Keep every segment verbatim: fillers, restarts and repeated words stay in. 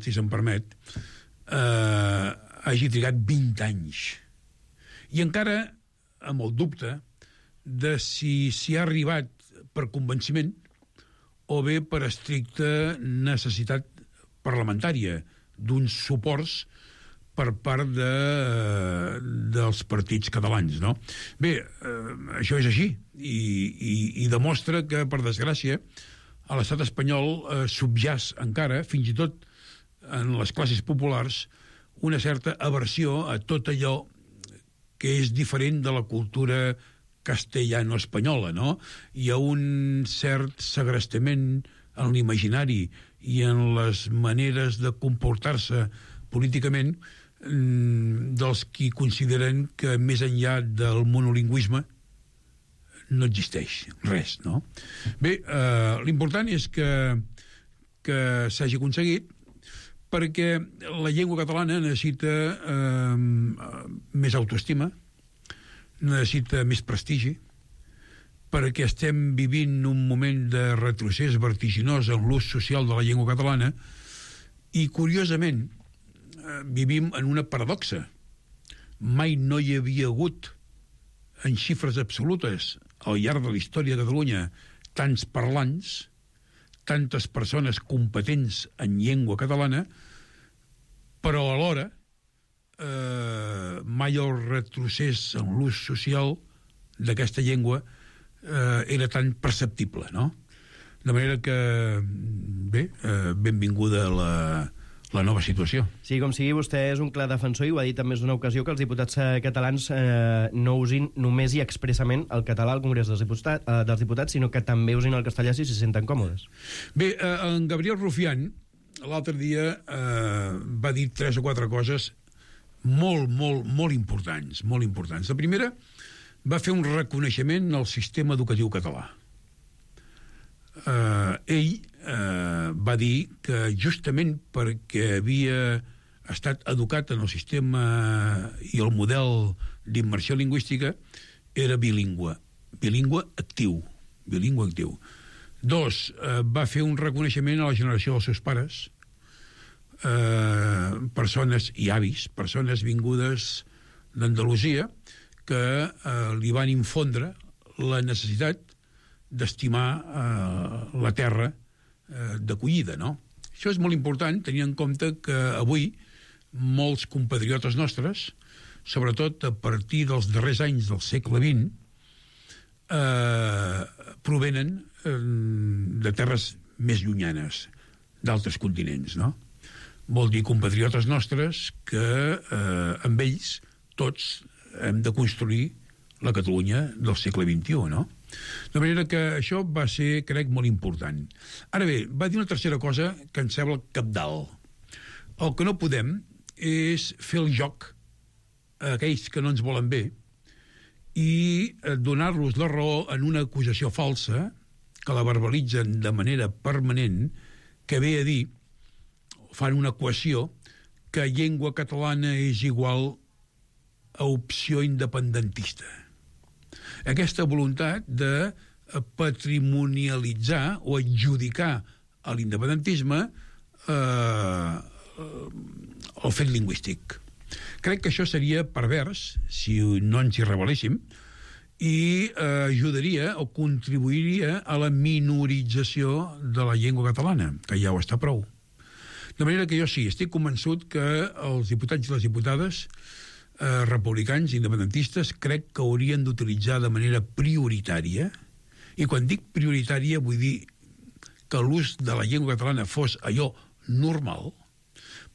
si se'm permet, eh, hagi trigat vint anys. I encara amb el dubte de si s'hi ha arribat per convenciment o bé per estricta necessitat parlamentària d'uns suports per part de, dels partits catalans, no? Bé, eh, això és així i, i, i demostra que, per desgràcia, a l'estat espanyol eh, subjàs encara, fins i tot en les classes populars, una certa aversió a tot allò que és diferent de la cultura castellano-espanyola, no? Hi ha un cert segrestament en l'imaginari i en les maneres de comportar-se políticament dels qui consideren que més enllà del monolingüisme no existeix res, no? Bé, eh, l'important és que, que s'hagi aconseguit, perquè la llengua catalana necessita eh, més autoestima, necessita més prestigi, perquè estem vivint un moment de retrocés vertiginós en l'ús social de la llengua catalana i, curiosament, eh, vivim en una paradoxa. Mai no hi havia hagut, en xifres absolutes, al llarg de la història de Catalunya, tants parlants, tantes persones competents en llengua catalana, però alhora eh, mai el retrocés en l'ús social d'aquesta llengua eh, era tan perceptible, no? De manera que, bé, eh, benvinguda la, la nova situació. Sí, com sigui, vostè és un clar defensor i ho ha dit en més d'una ocasió que els diputats eh, catalans eh, no usin només i expressament el català al Congrés dels Diputats, eh, dels diputats sinó que també usin el castellà si s'hi senten còmodes. Bé, eh, en Gabriel Rufián l'altre dia eh, va dir tres o quatre coses molt, molt, molt importants, molt importants. La primera, va fer un reconeixement al sistema educatiu català. Eh, ell eh, va dir que justament perquè havia estat educat en el sistema i el model d'immersió lingüística era bilingüe, bilingüe actiu, bilingüe actiu. Dos, eh, va fer un reconeixement a la generació dels seus pares, eh, persones i avis, persones vingudes d'Andalusia, que eh, li van infondre la necessitat d'estimar eh, la terra eh, d'acollida, no? Això és molt important, tenint en compte que avui molts compatriotes nostres, sobretot a partir dels darrers anys del segle vint, eh, provenen eh, de terres més llunyanes, d'altres continents, no? Vol dir compatriotes nostres que eh, amb ells tots hem de construir la Catalunya del segle vint-i-u, no? De manera que això va ser, crec, molt important. Ara bé, va dir una tercera cosa que em sembla cabdal. El que no podem és fer el joc a aquells que no ens volen bé i donar-los la raó en una acusació falsa que la verbalitzen de manera permanent, que ve a dir, fan una equació, que llengua catalana és igual a opció independentista. Aquesta voluntat de patrimonialitzar o adjudicar a l'independentisme eh, el fet lingüístic. Crec que això seria pervers si no ens hi rebel·léssim i eh, ajudaria o contribuiria a la minorització de la llengua catalana, que ja ho està prou. De manera que jo sí, estic convençut que els diputats i les diputades eh, republicans, independentistes, crec que haurien d'utilitzar de manera prioritària, i quan dic prioritària vull dir que l'ús de la llengua catalana fos allò normal,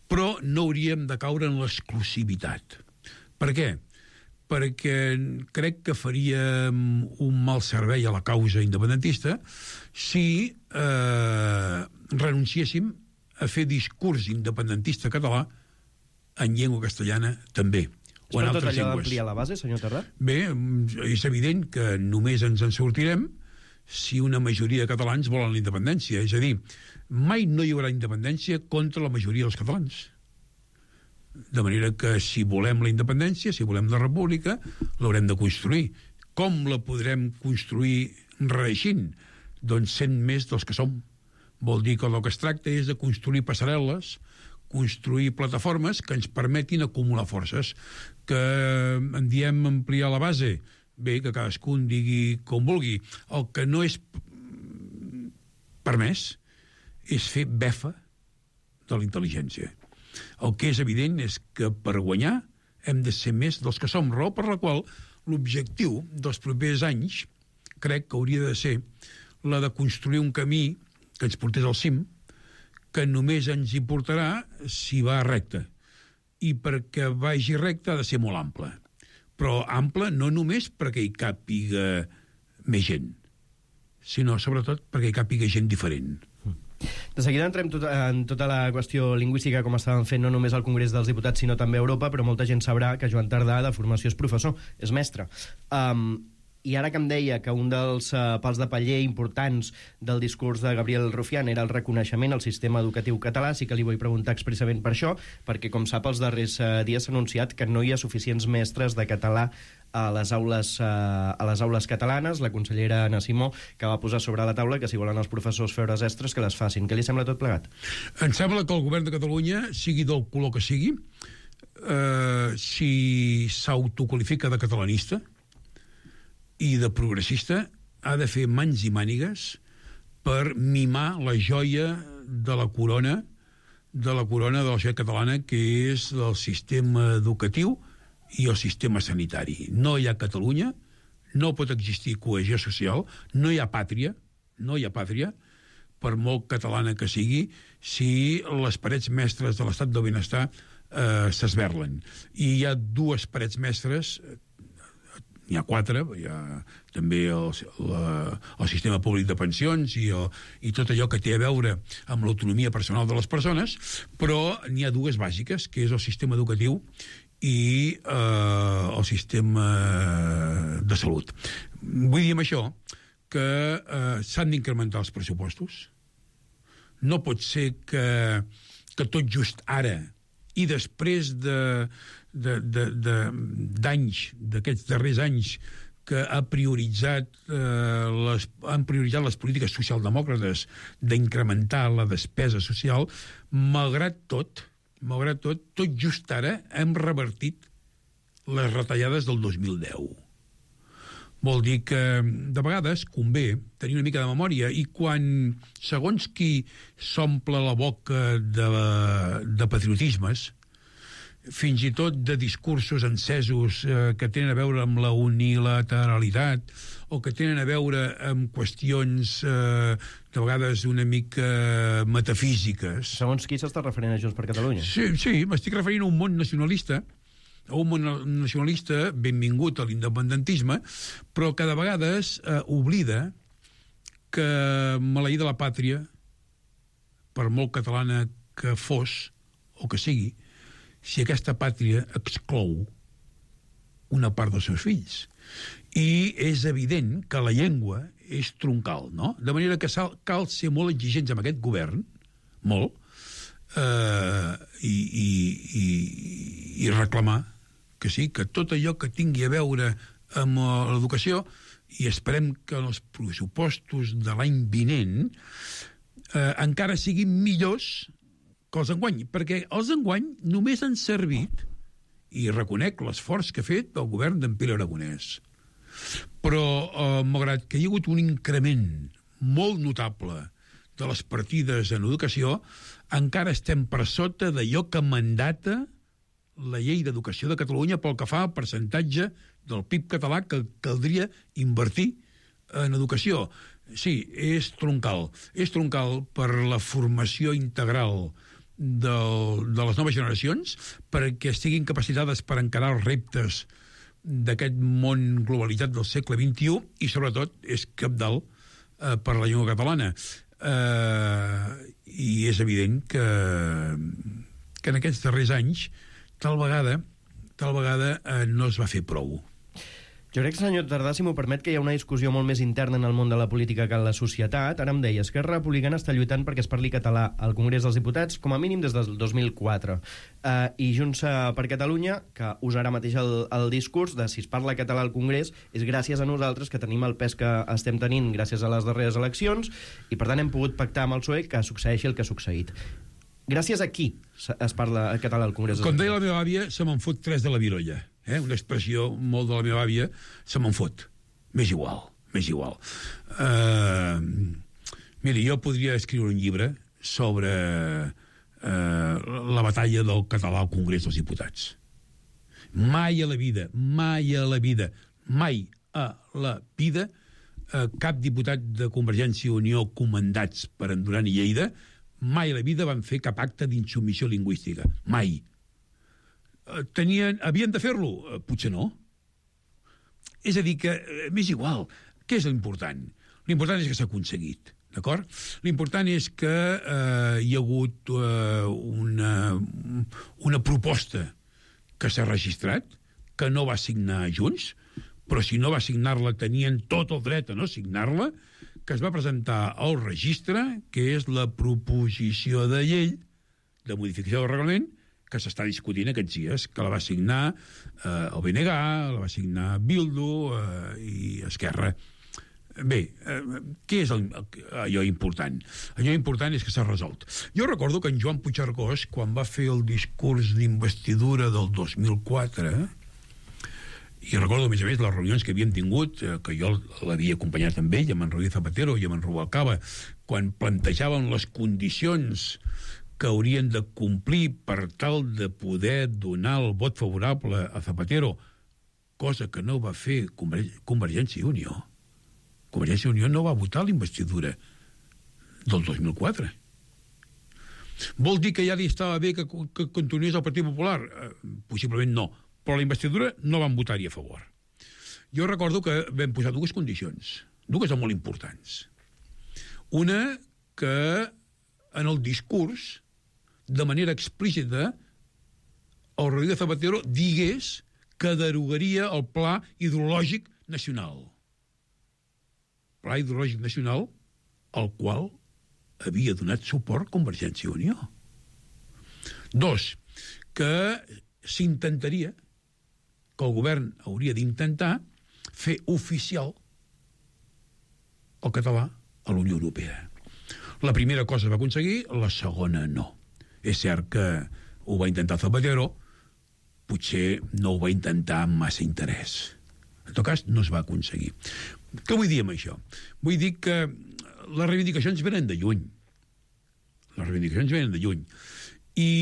però no hauríem de caure en l'exclusivitat. Per què? Perquè crec que faríem un mal servei a la causa independentista si eh, renunciéssim a fer discurs independentista català en llengua castellana també, o en altres llengües. És per tot allò d'ampliar la base, senyor Terrat? Bé, és evident que només ens en sortirem si una majoria de catalans volen la independència. És a dir, mai no hi haurà independència contra la majoria dels catalans. De manera que si volem la independència, si volem la república, l'haurem de construir. Com la podrem construir reeixint? Doncs sent més dels que som. Vol dir que el que es tracta és de construir passarel·les, construir plataformes que ens permetin acumular forces, que en diem ampliar la base, bé, que cadascú en digui com vulgui. El que no és permès és fer befa de la intel·ligència. El que és evident és que per guanyar hem de ser més dels que som, raó per la qual l'objectiu dels propers anys crec que hauria de ser la de construir un camí que ens portés al cim, que només ens hi portarà si va recte. I perquè vagi recte ha de ser molt ample. Però ample no només perquè hi càpiga més gent, sinó sobretot perquè hi càpiga gent diferent. De seguida entrem tot, en tota la qüestió lingüística, com estàvem fent no només al Congrés dels Diputats, sinó també a Europa, però molta gent sabrà que Joan Tardà, de formació, és professor, és mestre. Um, I ara que em deia que un dels uh, pals de paller importants del discurs de Gabriel Rufián era el reconeixement al sistema educatiu català, sí que li vull preguntar expressament per això, perquè, com sap, els darrers uh, dies s'ha anunciat que no hi ha suficients mestres de català a les aules, uh, a les aules catalanes. La consellera Anna Simó, que va posar sobre la taula que si volen els professors fer hores extres, que les facin. Què li sembla tot plegat? Em sembla que el govern de Catalunya, sigui del color que sigui, eh, si s'autoqualifica de catalanista i de progressista, ha de fer mans i mànigues per mimar la joia de la corona de la corona de la societat catalana, que és el sistema educatiu i el sistema sanitari. No hi ha Catalunya, no pot existir cohesió social, no hi ha pàtria, no hi ha pàtria, per molt catalana que sigui, si les parets mestres de l'estat del benestar eh, s'esberlen. I hi ha dues parets mestres, n'hi ha quatre, hi ha també el, la, el sistema públic de pensions i, el, i tot allò que té a veure amb l'autonomia personal de les persones, però n'hi ha dues bàsiques, que és el sistema educatiu i eh, el sistema de salut. Vull dir amb això que eh, s'han d'incrementar els pressupostos. No pot ser que, que tot just ara i després de, de, de, de, d'anys, d'aquests darrers anys, que ha prioritzat, eh, les, han prioritzat les polítiques socialdemòcrates d'incrementar la despesa social, malgrat tot, malgrat tot, tot just ara hem revertit les retallades del dos mil deu. Vol dir que de vegades convé tenir una mica de memòria, i quan, segons qui s'omple la boca de, de patriotismes, fins i tot de discursos encesos eh, que tenen a veure amb la unilateralitat o que tenen a veure amb qüestions eh, de vegades una mica metafísiques. Segons qui s'està referint a Junts per Catalunya? Sí, sí, m'estic referint a un món nacionalista, a un món nacionalista benvingut a l'independentisme, però que de vegades eh, oblida que maleïda la pàtria, per molt catalana que fos o que sigui, si aquesta pàtria exclou una part dels seus fills. I és evident que la llengua és troncal, no? De manera que cal ser molt exigents amb aquest govern, molt, eh, i, i, i, i reclamar que sí, que tot allò que tingui a veure amb l'educació, i esperem que els pressupostos de l'any vinent eh, encara siguin millors que els enguany, perquè els enguany només han servit, i reconec l'esforç que ha fet el govern d'en Pere Aragonès, però eh, malgrat que hi ha hagut un increment molt notable de les partides en educació, encara estem per sota d'allò que mandata la llei d'educació de Catalunya pel que fa al percentatge del P I B català que caldria invertir en educació. Sí, és troncal. És troncal per la formació integral del, de les noves generacions, perquè estiguin capacitades per encarar els reptes d'aquest món globalitzat del segle vint-i-u, i sobretot és cabdal eh, per la llengua catalana. Eh, I és evident que, que en aquests darrers anys tal vegada, tal vegada eh, no es va fer prou. Jo crec, senyor Tardà, si m'ho permet, que hi ha una discussió molt més interna en el món de la política que en la societat. Ara em deia, Esquerra Republicana està lluitant perquè es parli català al Congrés dels Diputats, com a mínim des del dos mil quatre. Uh, I Junts per Catalunya, que usa ara mateix el, el discurs de si es parla català al Congrés, és gràcies a nosaltres que tenim el pes que estem tenint gràcies a les darreres eleccions, i per tant hem pogut pactar amb el P S O E que succeeixi el que ha succeït. Gràcies a qui es parla el català al Congrés? Com deia la meva àvia, se me'n fot tres de la virolla. Eh? Una expressió molt de la meva àvia, se me'n fot. M'és igual, m'és igual. Uh, mira, jo podria escriure un llibre sobre uh, la batalla del català al Congrés dels Diputats. Mai a la vida, mai a la vida, mai a la vida, uh, cap diputat de Convergència i Unió comandats per en Duran i Lleida mai a la vida van fer cap acte d'insubmissió lingüística. Mai. Tenien, havien de fer-lo? Potser no. És a dir, que m'és igual. Què és l'important? L'important és que s'ha aconseguit. D'acord? L'important és que eh, hi ha hagut eh, una, una proposta que s'ha registrat, que no va signar Junts, però si no va signar-la tenien tot el dret a no signar-la, que es va presentar al registre, que és la proposició de llei de modificació del reglament, que s'està discutint aquests dies, que la va signar eh, el B N G, la va signar Bildu eh, i Esquerra. Bé, eh, què és el, allò important? Allò important és que s'ha resolt. Jo recordo que en Joan Puigcercós, quan va fer el discurs d'investidura del dos mil quatre, i recordo, a més a més, les reunions que havíem tingut, eh, que jo l'havia acompanyat amb ell, amb en Rodríguez Zapatero i amb en Rubalcaba, quan plantejaven les condicions que haurien de complir per tal de poder donar el vot favorable a Zapatero, cosa que no va fer Convergència i Unió. Convergència i Unió no va votar l'investidura del dos mil quatre. Vol dir que ja li estava bé que, que continués el Partit Popular? Eh, possiblement no. Però la investidura no van votar-hi a favor. Jo recordo que vam posar dues condicions, dues molt importants. Una, que en el discurs, de manera explícita, el Rodríguez Zapatero digués que derogaria el Pla Hidrològic Nacional. Pla Hidrològic Nacional al qual havia donat suport Convergència i Unió. Dos, que s'intentaria, que el govern hauria d'intentar fer oficial el català a la Unió Europea. La primera cosa va aconseguir, la segona no. És cert que ho va intentar Zapatero, potser no ho va intentar amb massa interès. En tot cas, no es va aconseguir. Què vull dir amb això? Vull dir que les reivindicacions venen de lluny. Les reivindicacions venen de lluny. I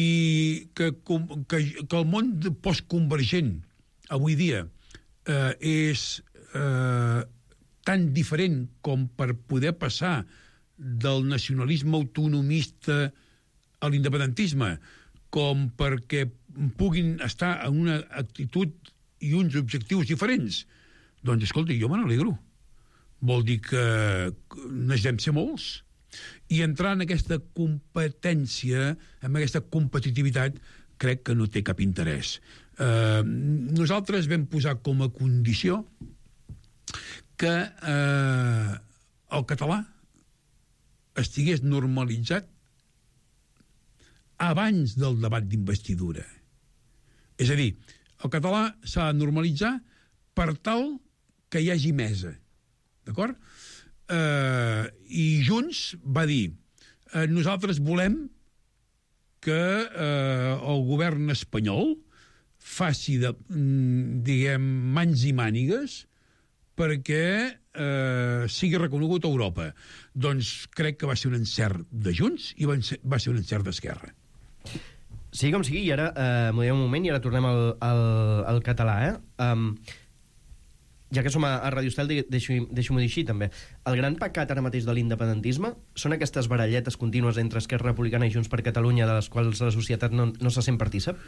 que, que, que el món postconvergent avui dia eh, és eh, tan diferent com per poder passar del nacionalisme autonomista a l'independentisme, com perquè puguin estar en una actitud i uns objectius diferents. Doncs, escolta, jo me n'alegro. Vol dir que necessitem ser molts. I entrar en aquesta competència, en aquesta competitivitat, crec que no té cap interès. Eh, nosaltres vam posar com a condició que eh, el català estigués normalitzat abans del debat d'investidura. És a dir, el català s'ha de normalitzar per tal que hi hagi mesa. D'acord? Eh, I Junts va dir eh, nosaltres volem que eh, el govern espanyol faci, de, diguem, mans i mànigues perquè eh, sigui reconegut a Europa. Doncs crec que va ser un encert de Junts i va ser, va ser un encert d'Esquerra. Sí, com sigui, i ara eh, m'ho un moment i ara tornem al, al, al català, eh? Um, ja que som a, a Radio Estel, deixo-m'ho deixo dir així, també. El gran pecat ara mateix de l'independentisme són aquestes baralletes contínues entre Esquerra Republicana i Junts per Catalunya, de les quals la societat no, no se sent partícip?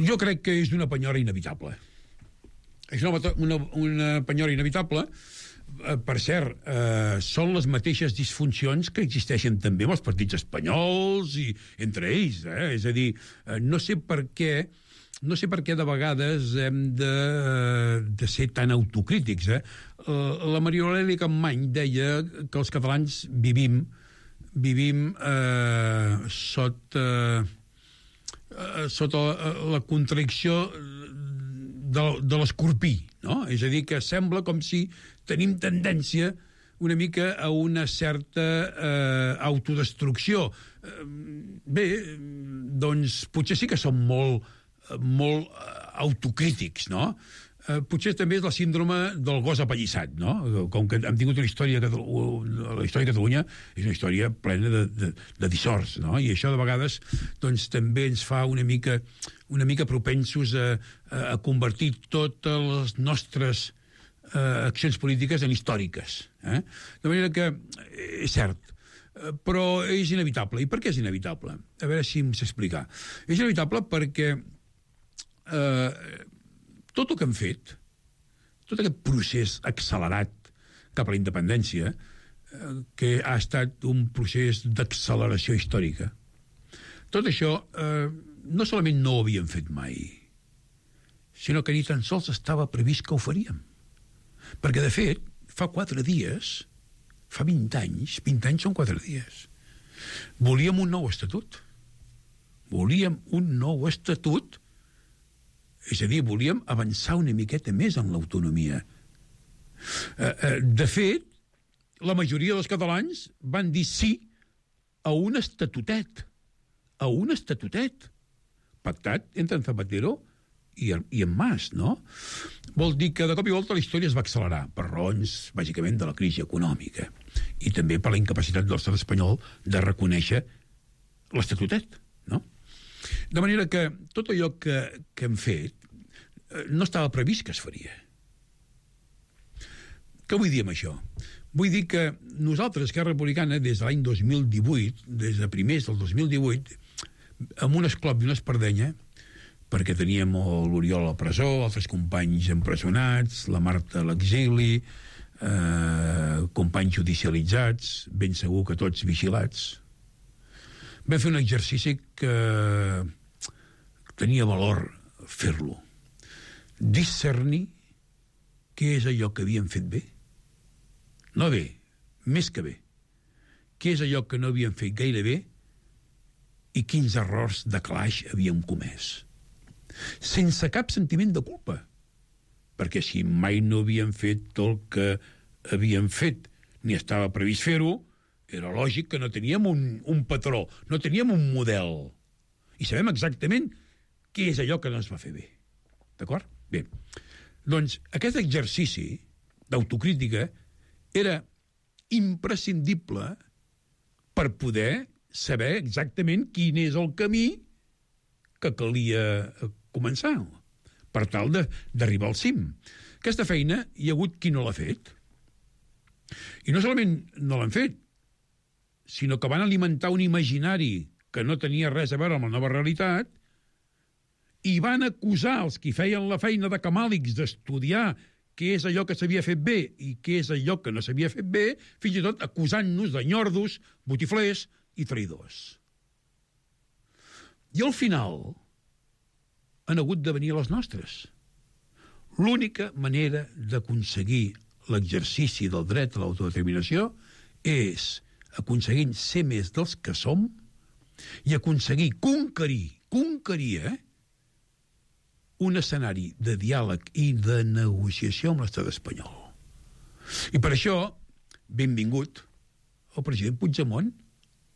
Jo crec que és una penyora inevitable. És una, una, una penyora inevitable. Per cert, eh, són les mateixes disfuncions que existeixen també amb els partits espanyols i entre ells. Eh? És a dir, eh, no sé per què no sé per què de vegades hem de, de ser tan autocrítics. Eh? La Maria Aurèlia Capmany deia que els catalans vivim vivim eh, sota eh, sota la contradicció de, de l'escorpí, no? És a dir, que sembla com si tenim tendència, una mica a una certa eh, autodestrucció. Eh, bé, doncs potser sí que són molt, molt autocrítics, no? Eh, potser també és la síndrome del gos apallissat, no? Com que hem tingut una història, la història de Catalunya és una història plena de, de, de dissorts, no? I això de vegades doncs, també ens fa una mica, una mica propensos a, a convertir totes les nostres eh, accions polítiques en històriques. Eh? De manera que és cert, però és inevitable. I per què és inevitable? A veure si em sé explicar. És inevitable perquè eh, tot el que hem fet, tot aquest procés accelerat cap a la independència, eh, que ha estat un procés d'acceleració històrica, tot això eh, no solament no ho havíem fet mai, sinó que ni tan sols estava previst que ho faríem. Perquè, de fet, fa quatre dies, fa vint anys, vint anys són quatre dies, volíem un nou estatut. Volíem un nou estatut. És a dir, volíem avançar una miqueta més en l'autonomia. Eh, eh, de fet, la majoria dels catalans van dir sí a un estatutet. A un estatutet. Pactat entre en Zapatero i, i en Mas, no? Vol dir que de cop i volta la història es va accelerar per raons, bàsicament, de la crisi econòmica i també per la incapacitat de l'estat espanyol de reconèixer l'estatutet, no? De manera que tot allò que, que hem fet eh, no estava previst que es faria. Què vull dir amb això? Vull dir que nosaltres, Esquerra Republicana, des de l'any dos mil divuit, des de primers del dos mil divuit, amb un esclop i una espardenya, perquè teníem l'Oriol a la presó, altres companys empresonats, la Marta a l'exili, eh, companys judicialitzats, ben segur que tots vigilats, vam fer un exercici que tenia valor fer-lo. Discernir què és allò que havíem fet bé. No bé, més que bé. Què és allò que no havíem fet gaire bé i quins errors de calaix havíem comès. Sense cap sentiment de culpa. Perquè si mai no havíem fet el que havíem fet, ni estava previst fer-ho, era lògic que no teníem un, un patró, no teníem un model. I sabem exactament què és allò que no es va fer bé. D'acord? Bé. Doncs aquest exercici d'autocrítica era imprescindible per poder saber exactament quin és el camí que calia començar per tal d'arribar al cim. Aquesta feina hi ha hagut qui no l'ha fet. I no solament no l'han fet, sinó que van alimentar un imaginari que no tenia res a veure amb la nova realitat i van acusar els qui feien la feina de camàlics d'estudiar què és allò que s'havia fet bé i què és allò que no s'havia fet bé, fins i tot acusant-nos de nyordos, botiflers i traïdors. I al final han hagut de venir a les nostres. L'única manera d'aconseguir l'exercici del dret a l'autodeterminació és aconseguint ser més dels que som i aconseguir conquerir, conquerir, eh, un escenari de diàleg i de negociació amb l'estat espanyol. I per això, benvingut el president Puigdemont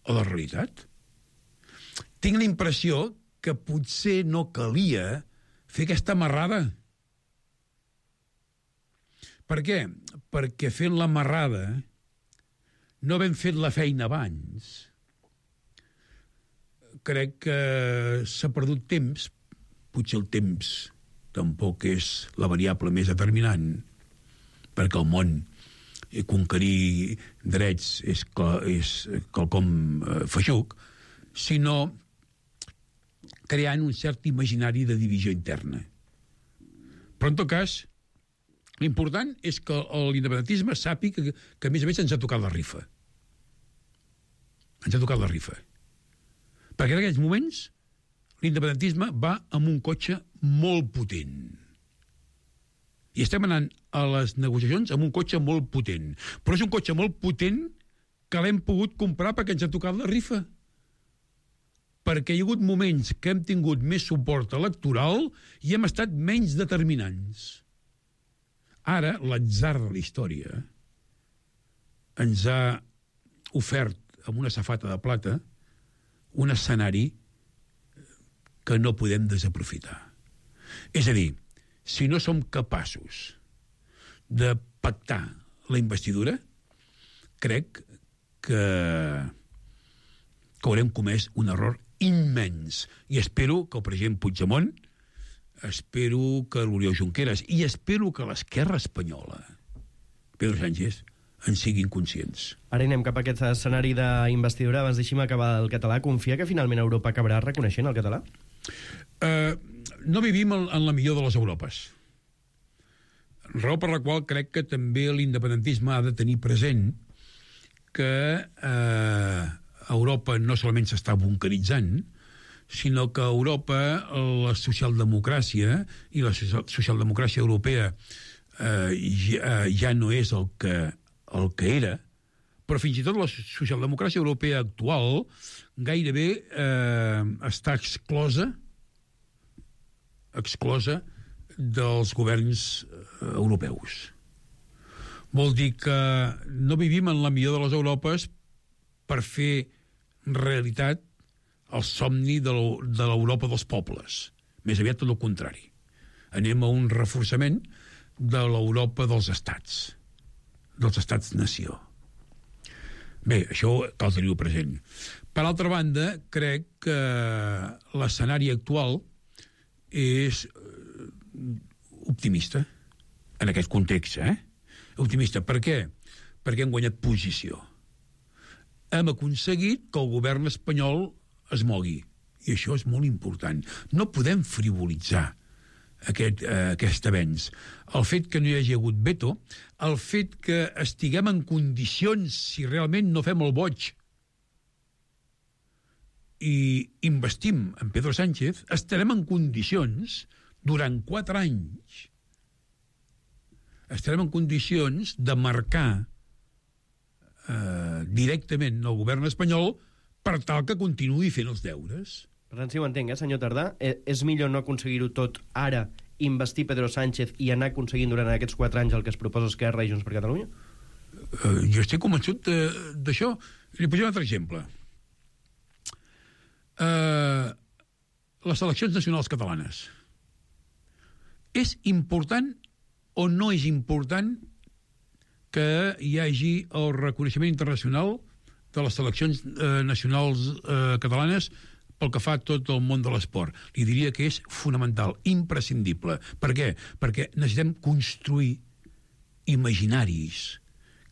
a la realitat. Tinc la impressió que potser no calia fer aquesta amarrada. Per què? Perquè fent l'amarrada no havent fet la feina abans, crec que s'ha perdut temps. Potser el temps tampoc és la variable més determinant, perquè el món conquerir drets és, és quelcom feixuc, sinó creant un cert imaginari de divisió interna. Però, en tot cas, l'important és que l'independentisme sàpiga que, que, a més a més, ens ha tocat la rifa. Ens ha tocat la rifa. Perquè en aquests moments l'independentisme va amb un cotxe molt potent. I estem anant a les negociacions amb un cotxe molt potent. Però és un cotxe molt potent que l'hem pogut comprar perquè ens ha tocat la rifa. Perquè hi ha hagut moments que hem tingut més suport electoral i hem estat menys determinants. Ara, l'atzar de la història ens ha ofert amb una safata de plata un escenari que no podem desaprofitar. És a dir, si no som capaços de pactar la investidura, crec que, que haurem comès un error immens. I espero que el president Puigdemont, espero que l'Oriol Junqueras i espero que l'esquerra espanyola, Pedro Sánchez, en siguin conscients. Ara anem cap a aquest escenari d'investidura. Abans deixi'm acabar el català. Confia que finalment Europa acabarà reconeixent el català? Uh, no vivim en, en la millor de les Europes. Raó per la qual crec que també l'independentisme ha de tenir present que eh, Europa no solament s'està bunkeritzant, sinó que a Europa la socialdemocràcia i la socialdemocràcia europea eh, ja, ja no és el que, el que era, però fins i tot la socialdemocràcia europea actual gairebé eh, està exclosa exclosa dels governs europeus. Vol dir que no vivim en la millor de les Europes per fer realitat el somni de l'Europa dels pobles. Més aviat tot el contrari. Anem a un reforçament de l'Europa dels estats, dels estats-nació. Bé, això cal tenir-ho present. Per altra banda, crec que l'escenari actual és optimista en aquest context, eh? Optimista. Per què? Perquè hem guanyat posició. Hem aconseguit que el govern espanyol es mogui. I això és molt important. No podem frivolitzar aquest, eh, aquest avenç. El fet que no hi hagi hagut veto, el fet que estiguem en condicions, si realment no fem el boig, i investim en Pedro Sánchez, estarem en condicions durant quatre anys estarem en condicions de marcar eh, directament el govern espanyol per tal que continuï fent els deures. Per tant, si ho entenc, eh, senyor Tardà, eh, és millor no aconseguir-ho tot ara, investir Pedro Sánchez i anar aconseguint durant aquests quatre anys el que es proposa Esquerra i Junts per Catalunya? Eh, jo estic convençut d'això. Li posaré un altre exemple. Eh, les eleccions nacionals catalanes. És important o no és important que hi hagi el reconeixement internacional de les seleccions eh, nacionals eh, catalanes pel que fa a tot el món de l'esport? Li diria que és fonamental, imprescindible. Per què? Perquè necessitem construir imaginaris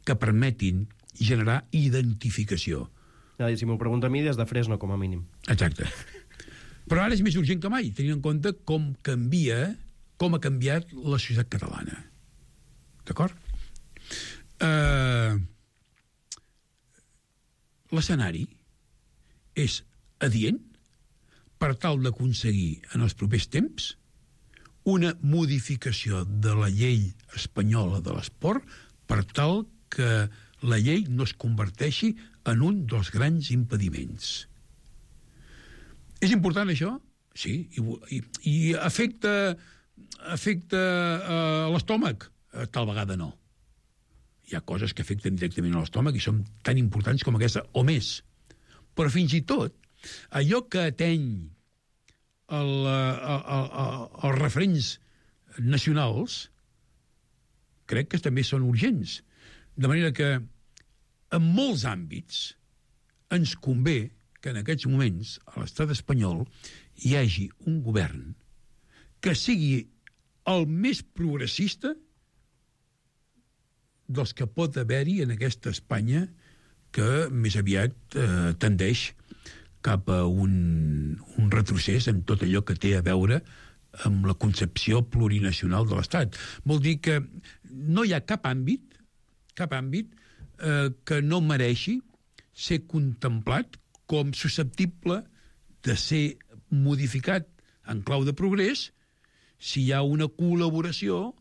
que permetin generar identificació. Ja, si m'ho pregunta a mi, des de Fresno, com a mínim. Exacte. Però ara és més urgent que mai, tenint en compte com canvia, com ha canviat la societat catalana. D'acord? Uh, L'escenari és adient per tal d'aconseguir en els propers temps una modificació de la llei espanyola de l'esport per tal que la llei no es converteixi en un dels grans impediments. És important això? Sí, i, i, i afecta, afecta uh, l'estómac? Uh, tal vegada no. Hi ha coses que afecten directament a l'estómac i són tan importants com aquesta, o més. Però fins i tot, allò que ateny el, el, el, els referents nacionals, crec que també són urgents. De manera que, en molts àmbits, ens convé que en aquests moments a l'estat espanyol hi hagi un govern que sigui el més progressista dels que pot haver-hi en aquesta Espanya que més aviat eh, tendeix cap a un, un retrocés en tot allò que té a veure amb la concepció plurinacional de l'Estat. Vol dir que no hi ha cap àmbit, cap àmbit eh, que no mereixi ser contemplat com susceptible de ser modificat en clau de progrés si hi ha una col·laboració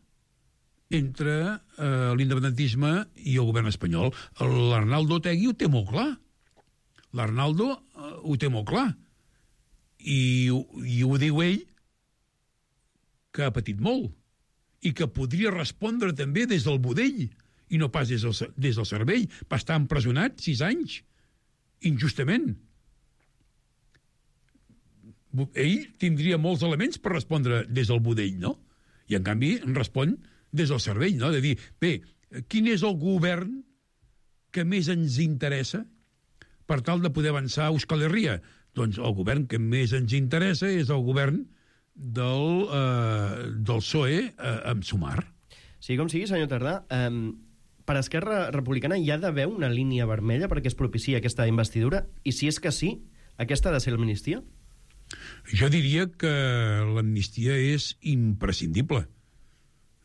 entre eh, l'independentisme i el govern espanyol. L'Arnaldo Otegi ho té molt clar. L'Arnaldo eh, ho té molt clar. I, I ho diu ell que ha patit molt i que podria respondre també des del budell i no pas des del, des del cervell. Va estar empresonat sis anys, injustament. Ell tindria molts elements per respondre des del budell, no? I, en canvi, respon des del cervell, no? De dir, bé, quin és el govern que més ens interessa per tal de poder avançar a Euskal Herria? Doncs el govern que més ens interessa és el govern del, eh, del P S O E eh, amb Sumar. Sí, com sigui, senyor Tardà, eh, per Esquerra Republicana hi ha d'haver una línia vermella perquè es propiciï aquesta investidura? I si és que sí, aquesta ha de ser l'amnistia? Jo diria que l'amnistia és imprescindible.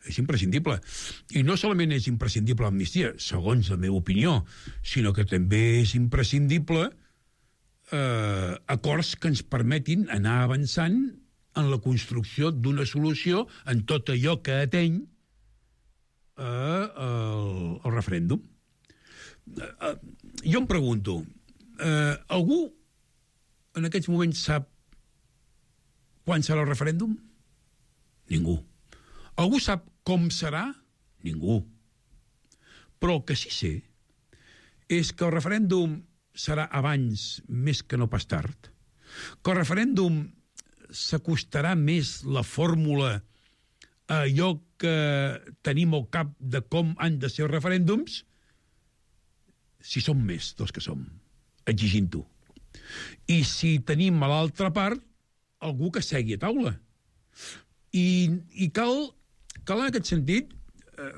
És imprescindible. I no solament és imprescindible l'amnistia, segons la meva opinió, sinó que també és imprescindible eh, acords que ens permetin anar avançant en la construcció d'una solució en tot allò que ateny eh, el, el referèndum. Eh, jo em pregunto, eh, algú en aquests moments sap quan serà el referèndum? Ningú. Algú sap com serà? Ningú. Però el que sí sé és que el referèndum serà abans més que no pas tard, que el referèndum s'acostarà més la fórmula a allò que tenim al cap de com han de ser els referèndums si som més dels que som, exigint-ho. I si tenim a l'altra part algú que segui a taula. I, i cal, cal en aquest sentit eh,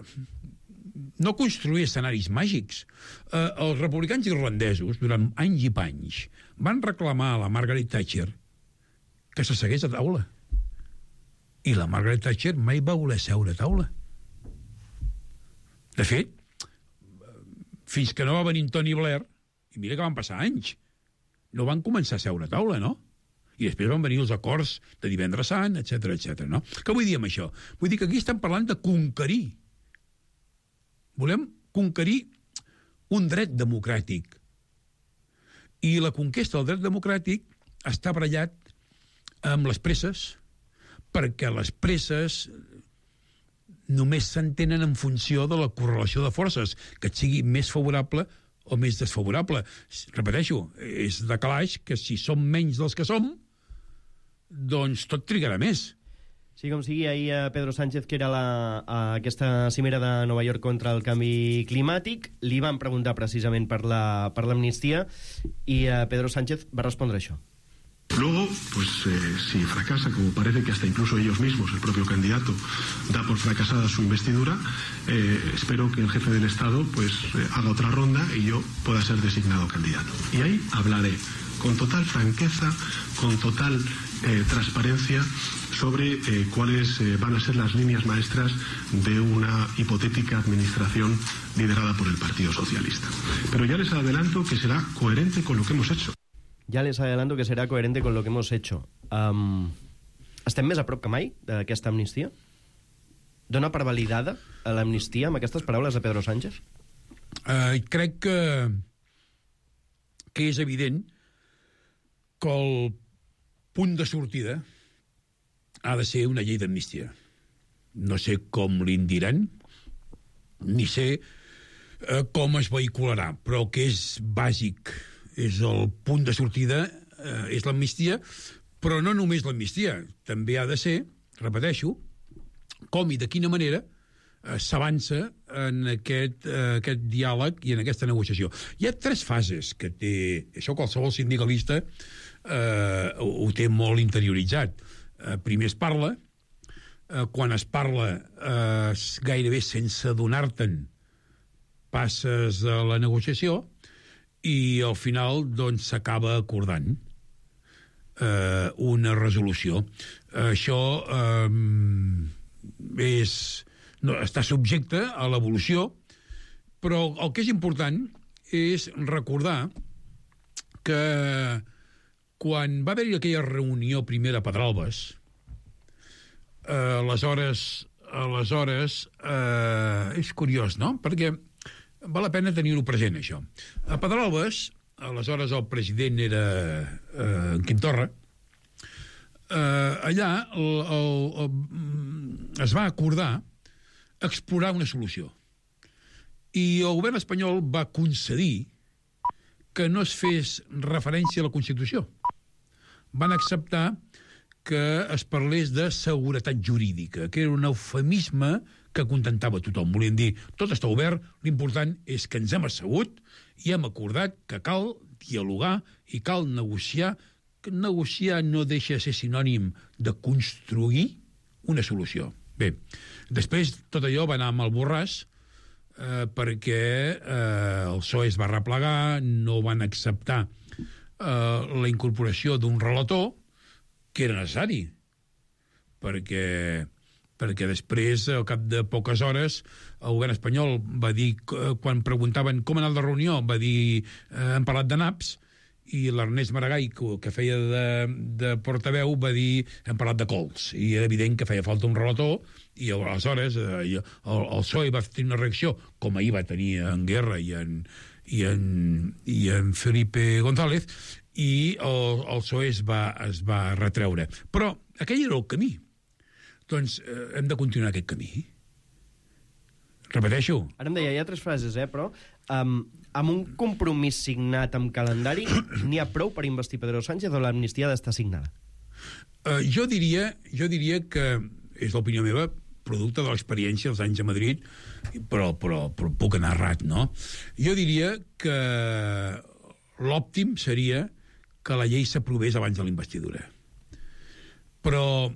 no construir escenaris màgics. Eh, els republicans irlandesos, durant anys i panys, van reclamar a la Margaret Thatcher que se segués a taula. I la Margaret Thatcher mai va voler seure a taula. De fet, fins que no va venir Tony Blair, i mira que van passar anys, no van començar a seure a taula, no? I després van venir els acords de Divendres Sant, etcètera, etcètera, no? Què vull dir amb això? Vull dir que aquí estem parlant de conquerir. Volem conquerir un dret democràtic. I la conquesta del dret democràtic està barallat amb les presses, perquè les presses només s'entenen en funció de la correlació de forces, que et sigui més favorable o més desfavorable. Repeteixo, és de calaix que si som menys dels que som, doncs tot trigarà més. Sí, com sigui, ahir a Pedro Sánchez, que era la, a aquesta cimera de Nova York contra el canvi climàtic, li van preguntar precisament per la, per l'amnistia i a Pedro Sánchez va respondre això. Luego, pues eh, si fracasa, como parece que hasta incluso ellos mismos, el propio candidato, da por fracasada su investidura, eh, espero que el jefe del Estado pues eh, haga otra ronda y yo pueda ser designado candidato. Y ahí hablaré con total franqueza, con total eh, transparencia sobre eh, cuáles eh, van a ser las líneas maestras de una hipotética administración liderada por el Partido Socialista. Pero ya les adelanto que será coherente con lo que hemos hecho. Ja les adelanto que serà coherente con lo que hemos hecho. Um, estem més a prop que mai d'aquesta amnistia? Dona per validada a l'amnistia amb aquestes paraules de Pedro Sánchez? Uh, crec que, que és evident que el punt de sortida ha de ser una llei d'amnistia. No sé com li'n diran, ni sé uh, com es vehicularà, però que és bàsic, és el punt de sortida, eh, és l'amnistia, però no només l'amnistia, també ha de ser, repeteixo, com i de quina manera eh, s'avança en aquest, eh, aquest diàleg i en aquesta negociació. Hi ha tres fases que té, això qualsevol sindicalista eh, ho, ho té molt interioritzat. Eh, primer es parla, eh, quan es parla eh, gairebé sense adonar-te'n passes a la negociació, i al final doncs s'acaba acordant eh, una resolució. Això eh, és, no, està subjecte a l'evolució, però el que és important és recordar que quan va haver-hi aquella reunió primera a Pedralbes, eh, aleshores, aleshores eh, és curiós, no? Perquè val la pena tenir-ho present, això. A Pedralbes, aleshores el president era eh, Quim Torra, eh, allà el, el, el, es va acordar explorar una solució. I el govern espanyol va concedir que no es fes referència a la Constitució. Van acceptar que es parlés de seguretat jurídica, que era un eufemisme que contentava tothom. Volien dir, tot està obert, l'important és que ens hem assegut i hem acordat que cal dialogar i cal negociar. Que negociar no deixa de ser sinònim de construir una solució. Bé, després tot allò va anar amb el borràs, eh, perquè eh, el P S O E es va replegar, no van acceptar eh, la incorporació d'un relator, que era necessari, perquè, perquè després, al cap de poques hores, el govern espanyol va dir, quan preguntaven com anar de reunió, va dir, eh, hem parlat de naps, i l'Ernest Maragall, que feia de, de portaveu, va dir, hem parlat de cols, i era evident que feia falta un relator, i aleshores eh, el, el P S O E va tenir una reacció, com ahir va tenir en Guerra i en, i en, i en Felipe González, i el, el P S O E es va, es va retreure. Però aquell era el camí. Doncs eh, hem de continuar aquest camí. Repeteixo. Ara em deia, hi ha tres frases, eh, però um, amb un compromís signat amb calendari n'hi ha prou per investir Pedro Sánchez o l'amnistia ha d'estar signada? Uh, jo, diria, jo diria que, és l'opinió meva, producte de l'experiència dels anys a Madrid, però, però, però puc anar errat, no? Jo diria que l'òptim seria que la llei s'aprovés abans de la investidura. Però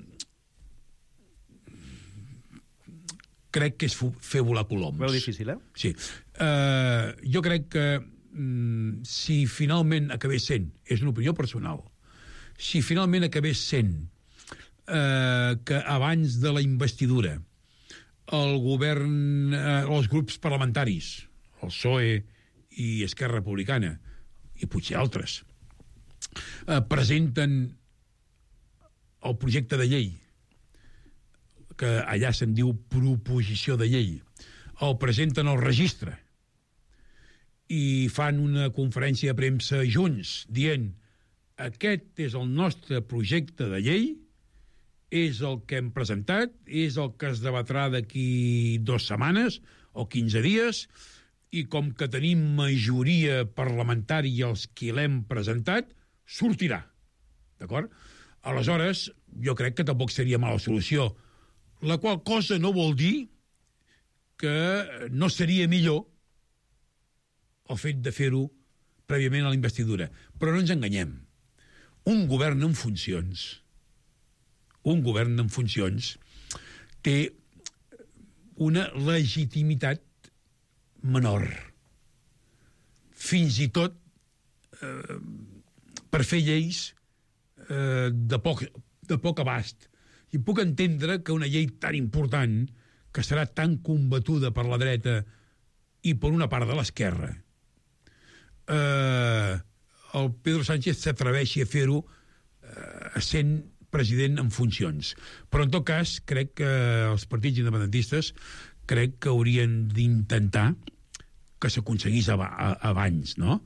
crec que és fer volar coloms. Veu difícil, eh? Sí. Uh, jo crec que mm, si finalment acabés sent, és una opinió personal, si finalment acabés sent uh, que abans de la investidura el govern, uh, els grups parlamentaris, el P S O E i Esquerra Republicana, i potser altres, eh, presenten el projecte de llei, que allà se'n diu proposició de llei, el presenten al registre i fan una conferència de premsa junts dient aquest és el nostre projecte de llei, és el que hem presentat, és el que es debatrà d'aquí dues setmanes o quinze dies, i com que tenim majoria parlamentària els qui l'hem presentat, sortirà. D'acord? Aleshores, jo crec que tampoc seria mala solució, la qual cosa no vol dir que no seria millor el fet de fer-ho prèviament a la investidura. Però no ens enganyem. Un govern en funcions, un govern en funcions té una legitimitat menor, fins i tot eh, per fer lleis eh, de, poc, de poc abast. I puc entendre que una llei tan important, que serà tan combatuda per la dreta i per una part de l'esquerra, eh, el Pedro Sánchez s'atreveixi a fer-ho eh, sent president en funcions. Però en tot cas, crec que els partits independentistes crec que haurien d'intentar que s'aconseguís ab abans, no?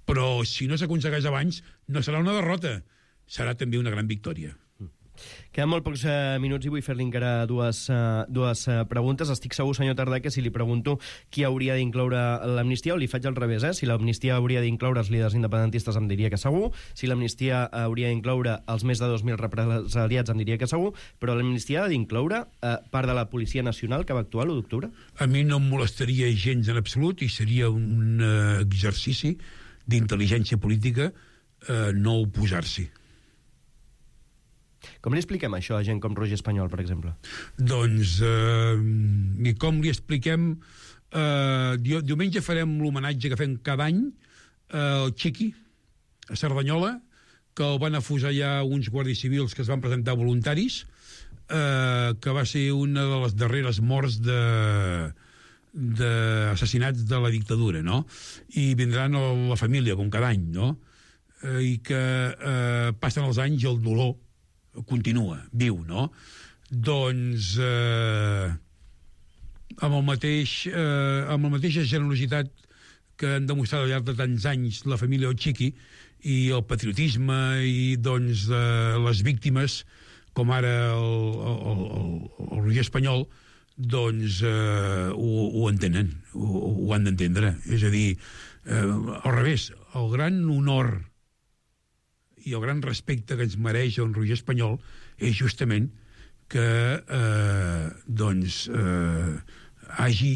Però si no s'aconsegueix abans, no serà una derrota, serà també una gran victòria. Queden molt pocs eh, minuts i vull fer-li encara dues, eh, dues eh, preguntes. Estic segur, senyor Tardà, que si li pregunto qui hauria d'incloure l'amnistia, o li faig al revés, eh? Si l'amnistia hauria d'incloure els líders independentistes, em diria que segur. Si l'amnistia hauria d'incloure els més de dos mil represaliats, em diria que segur. Però l'amnistia ha d'incloure eh, part de la Policia Nacional que va actuar l'u d'octubre? A mi no em molestaria gens en absolut i seria un uh, exercici d'intel·ligència política uh, no oposar-s'hi. Com li expliquem això a gent com Roger Espanyol, per exemple? Doncs, eh, i com li expliquem... Eh, diumenge farem l'homenatge que fem cada any eh, al Chiqui, a Cerdanyola, que el van afusellar uns guàrdies civils que es van presentar voluntaris, eh, que va ser una de les darreres morts de d'assassinats de la dictadura, no? I vindran a la família, com cada any, no? Eh, I que eh, passen els anys i el dolor continua, viu, no? Doncs eh, amb el mateix eh, amb la mateixa generositat que han demostrat al llarg de tants anys la família Chiqui i el patriotisme i doncs eh, les víctimes com ara el, el, el, el Roger Espanyol, doncs eh, ho, ho entenen, ho, ho han d'entendre. És a dir, eh, al revés, el gran honor i el gran respecte que ens mereix el Roger Espanyol és justament que eh, doncs eh, hagi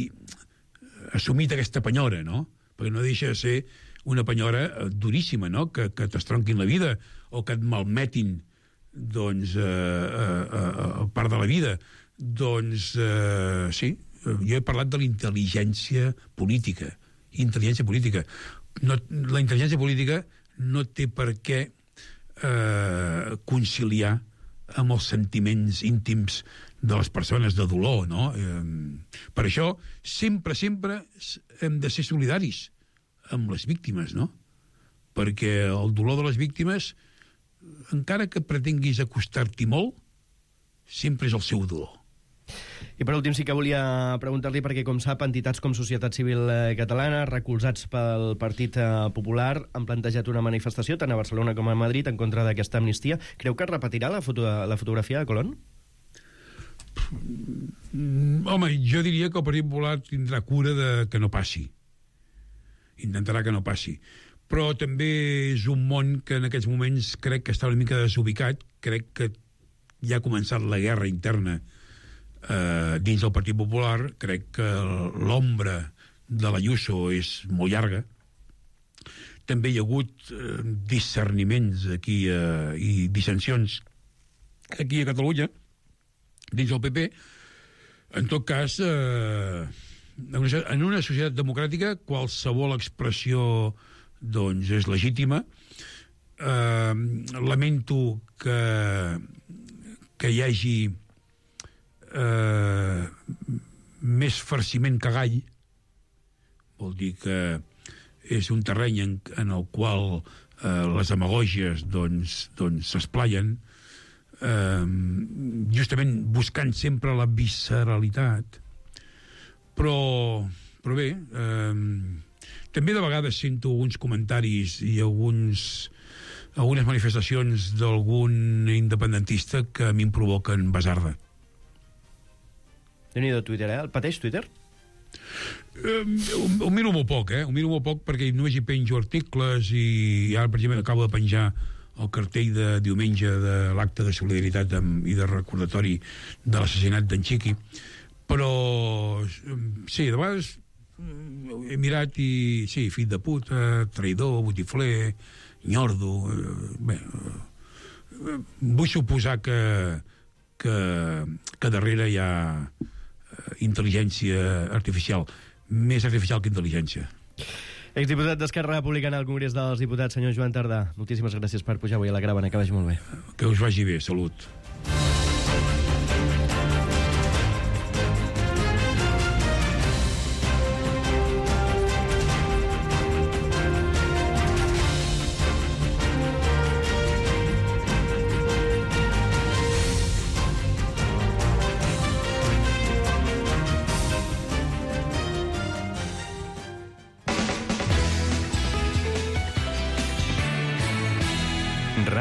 assumit aquesta penyora, no? Perquè no deixa de ser una penyora duríssima, no? Que, que t'estronquin la vida o que et malmetin doncs eh, eh, eh, part de la vida. Doncs eh, sí, jo he parlat de la intel·ligència política. Intel·ligència política. No, la intel·ligència política no té per què eh, conciliar amb els sentiments íntims de les persones de dolor, no? Eh, per això, sempre, sempre hem de ser solidaris amb les víctimes, no? Perquè el dolor de les víctimes, encara que pretenguis acostar-t'hi molt, sempre és el seu dolor. I per últim sí que volia preguntar-li, perquè com sap, entitats com Societat Civil Catalana, recolzats pel Partit Popular, han plantejat una manifestació tant a Barcelona com a Madrid en contra d'aquesta amnistia. Creu que es repetirà la, foto, la fotografia de Colón? Home, jo diria que el Partit Popular tindrà cura de que no passi. Intentarà que no passi. Però també és un món que en aquests moments crec que està una mica desubicat. Crec que ja ha començat la guerra interna eh, dins del Partit Popular. Crec que l'ombra de l'Ayuso és molt llarga. També hi ha hagut eh, discerniments aquí eh, i dissensions aquí a Catalunya, dins del P P. En tot cas, eh, en una societat democràtica qualsevol expressió doncs és legítima. Eh, lamento que, que hi hagi eh, més farciment que gall. Vol dir que és un terreny en, en el qual eh, les demagògies doncs, doncs s'esplaien, eh, justament buscant sempre la visceralitat. Però, però bé, eh, també de vegades sento alguns comentaris i alguns, algunes manifestacions d'algun independentista que a mi em provoquen basarda. Déu-n'hi-do Twitter, eh? El pateix Twitter? Eh, ho, ho miro molt poc, eh? Ho miro molt poc perquè només hi penjo articles i ara, per exemple, acabo de penjar el cartell de diumenge de l'acte de solidaritat amb, i de recordatori de l'assassinat d'en Chiqui. Però, sí, de vegades he mirat i, sí, fill de puta, traïdor, botifler, nyordo... Bé, vull suposar que, que, que darrere hi ha intel·ligència artificial, més artificial que intel·ligència. Exdiputat d'Esquerra Republicana al Congrés dels Diputats, senyor Joan Tardà, moltíssimes gràcies per pujar avui a la Gravana, que vagi molt bé. Que us vagi bé, salut.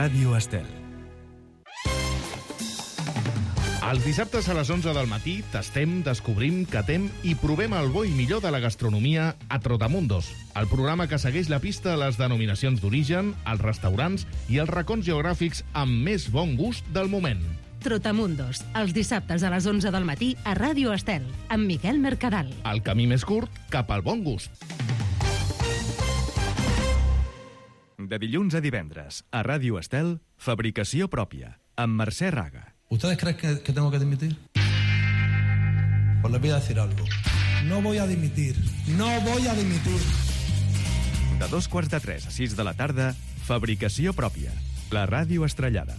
Ràdio Estel. Els dissabtes a les onze del matí tastem, descobrim, catem i provem el bo i millor de la gastronomia a Trotamundos, el programa que segueix la pista a les denominacions d'origen, els restaurants i els racons geogràfics amb més bon gust del moment. Trotamundos, els dissabtes a les onze del matí a Ràdio Estel, amb Miquel Mercadal. El camí més curt cap al bon gust. De dilluns a divendres, a Ràdio Estel, Fabricació Pròpia, amb Mercè Raga. ¿Ustedes creen que, que tengo que dimitir? Pues les voy a decir algo. No voy a dimitir. No voy a dimitir. De dos quarts de tres a sis de la tarda, Fabricació Pròpia, la ràdio estrellada.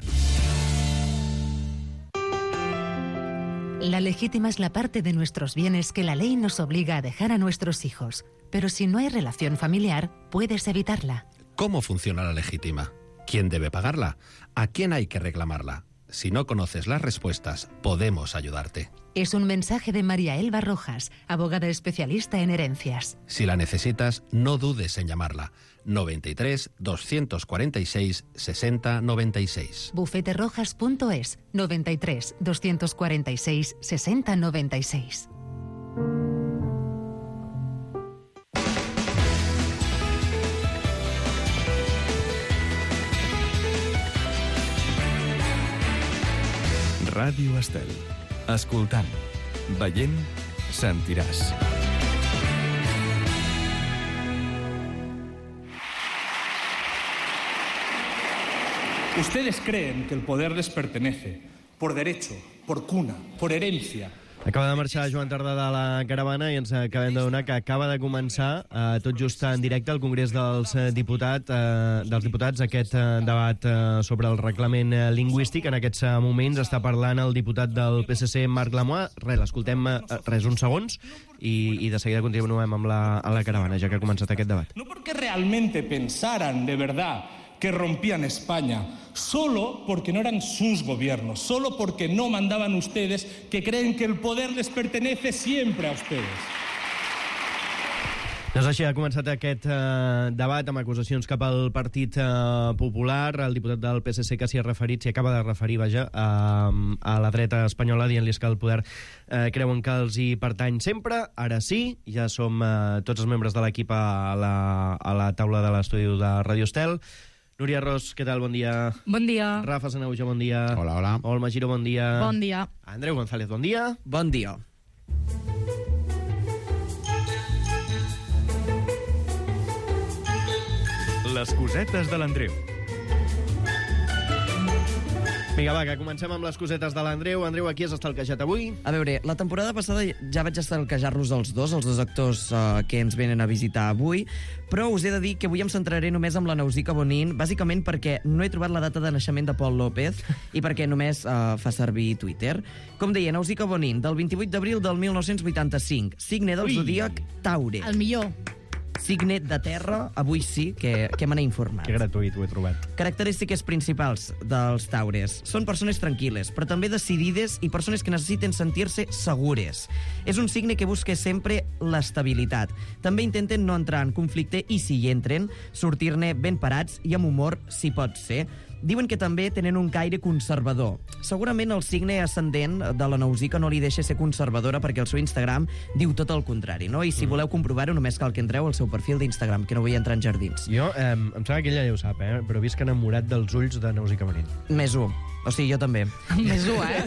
La legítima es la parte de nuestros bienes que la ley nos obliga a dejar a nuestros hijos. Pero si no hay relación familiar, puedes evitarla. ¿Cómo funciona la legítima? ¿Quién debe pagarla? ¿A quién hay que reclamarla? Si no conoces las respuestas, podemos ayudarte. Es un mensaje de María Elba Rojas, abogada especialista en herencias. Si la necesitas, no dudes en llamarla. noventa y tres, doscientos cuarenta y seis, sesenta noventa y seis. bufeterojas punto es, noventa y tres, doscientos cuarenta y seis, sesenta noventa y seis. Ràdio Estel. Escoltant, veient, sentiràs. Ustedes creen que el poder les pertenece por derecho, por cuna, por herencia. Acaba de marxar Joan Tardà de la caravana i ens acabem d'adonar que acaba de començar eh, tot just en directe al Congrés dels, eh, diputat, eh, dels Diputats aquest eh, debat eh, sobre el reglament eh, lingüístic. En aquests eh, moments està parlant el diputat del P S C, Marc Lamois. Res, l'escoltem eh, res, uns segons i, i de seguida continuem amb la, amb la caravana, ja que ha començat aquest debat. No porque realmente pensaran de verdad que rompían España, solo porque no eran sus gobiernos, solo porque no mandaban ustedes, que creen que el poder les pertenece siempre a ustedes. Doncs així ha començat aquest eh, debat amb acusacions cap al Partit eh, Popular. El diputat del P S C que s'hi ha referit, s'hi acaba de referir, vaja, a, a la dreta espanyola, dient-los que el poder eh, creuen que els hi pertany sempre. Ara sí, ja som eh, tots els membres de l'equip a, la, a la taula de l'estudi de Radio Estel. Núria Ros, què tal? Bon dia. Bon dia. Rafa Sanauja, bon dia. Hola, hola. Olma Giro, bon dia. Bon dia. Andreu González, bon dia. Bon dia. Les cosetes de l'Andreu. Vinga, va, que comencem amb les cosetes de l'Andreu. Andreu, aquí has estalquejat avui? A veure, la temporada passada ja vaig estalquejar-los els dos, els dos actors uh, que ens venen a visitar avui, però us he de dir que avui em centraré només amb la Nausica Bonin, bàsicament perquè no he trobat la data de naixement de Pol López i perquè només uh, fa servir Twitter. Com deia, Nausica Bonin, del vint-i-vuit d'abril del mil nou-cents vuitanta-cinc, signe del zodíac Taure. El millor. Signe de terra, avui sí, que, que me n'he informat. Que gratuït, ho he trobat. Característiques principals dels taures. Són persones tranquil·les, però també decidides i persones que necessiten sentir-se segures. És un signe que busca sempre l'estabilitat. També intenten no entrar en conflicte i, si hi entren, sortir-ne ben parats i amb humor, si pot ser. Diuen que també tenen un caire conservador. Segurament el signe ascendent de la Nausica no li deixa ser conservadora perquè el seu Instagram diu tot el contrari, no? I si voleu comprovar-ho, només cal que entreu al seu perfil d'Instagram, que no vull entrar en jardins. Jo, eh, em sembla que ella ja ho sap, eh? Però visc enamorat dels ulls de Nausica Bonin. Més un. O sigui, jo també. Més un, eh?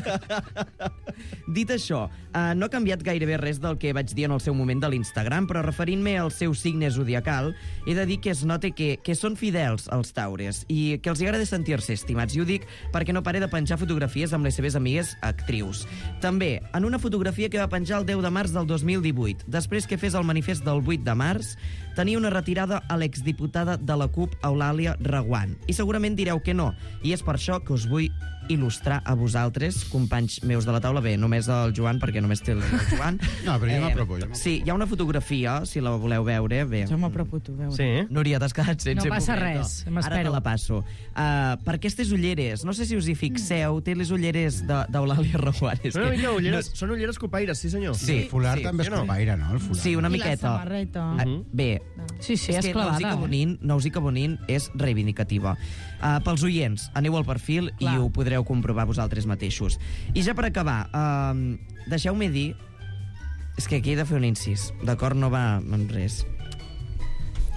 Dit això, eh, no ha canviat gairebé res del que vaig dir en el seu moment de l'Instagram, però referint-me al seu signe zodiacal, he de dir que es nota que, que són fidels als taures i que els agrada sentir-se estimats. I ho dic perquè no pare de penjar fotografies amb les seves amigues actrius. També, en una fotografia que va penjar el deu de març del dos mil divuit, després que fes el manifest del vuit de març, tenia una retirada a l'exdiputada de la CUP, Eulàlia Reguant. I segurament direu que no, i és per això que us vull il·lustrar a vosaltres, companys meus de la taula. Bé, només el Joan, perquè només té el Joan. No, però jo Eh, m'apropo. jo Sí, hi ha una fotografia, si la voleu veure. Bé. Jo m'apropo, tu, veure. Sí? Núria, t'has quedat sense No passa momento. res, Ara m'espero. te la passo. Uh, per aquestes ulleres, no sé si us hi fixeu, té les ulleres de- d'Eulàlia Reguant. És Són una que- mica ulleres, són ulleres copaires, sí senyor. Sí, El fular sí. també és Jo no. copaire, no? El fular. Sí, una I la miqueta. samarreta. Ah, bé, Sí, sí, és és que clavada. Nausica eh? Bonin, Nausica Bonin és reivindicativa. Uh, pels oients, aneu al perfil Clar. i ho podreu comprovar vosaltres mateixos. I ja per acabar, uh, deixeu-me dir... És que aquí he de fer un incís, d'acord? No va amb res.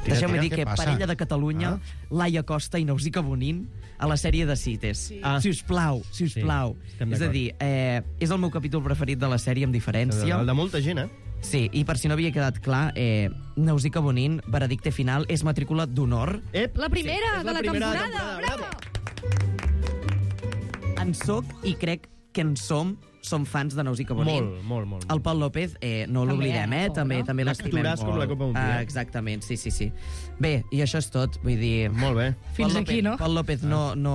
Tira, Deixeu-me tira, dir què que passa? parella de Catalunya, Ah. Laia Costa i Nausica Bonin, a la sèrie de Cites. Sí. Ah. Si us plau, si us Sí, plau. estem És a d'acord. dir, eh, és el meu capítol preferit de la sèrie, amb diferència. El de molta gent, eh? Sí, i per si no havia quedat clar, eh, Nausica Bonin, veredicte final, és matrícula d'honor. Ep, La primera és de la primera temporada. temporada, Bravo! En soc i crec que en som som fans de Nous i Cabonín. Molt, molt, molt. El Pol López, eh, no També, l'oblidem, eh? pobre. També, també l'estimem Actoràs com la Copa un dia. Ah, exactament, sí, sí, sí. Bé, i això és tot, vull dir... Molt bé. Fins Pol aquí, López, no? Pol López no, no,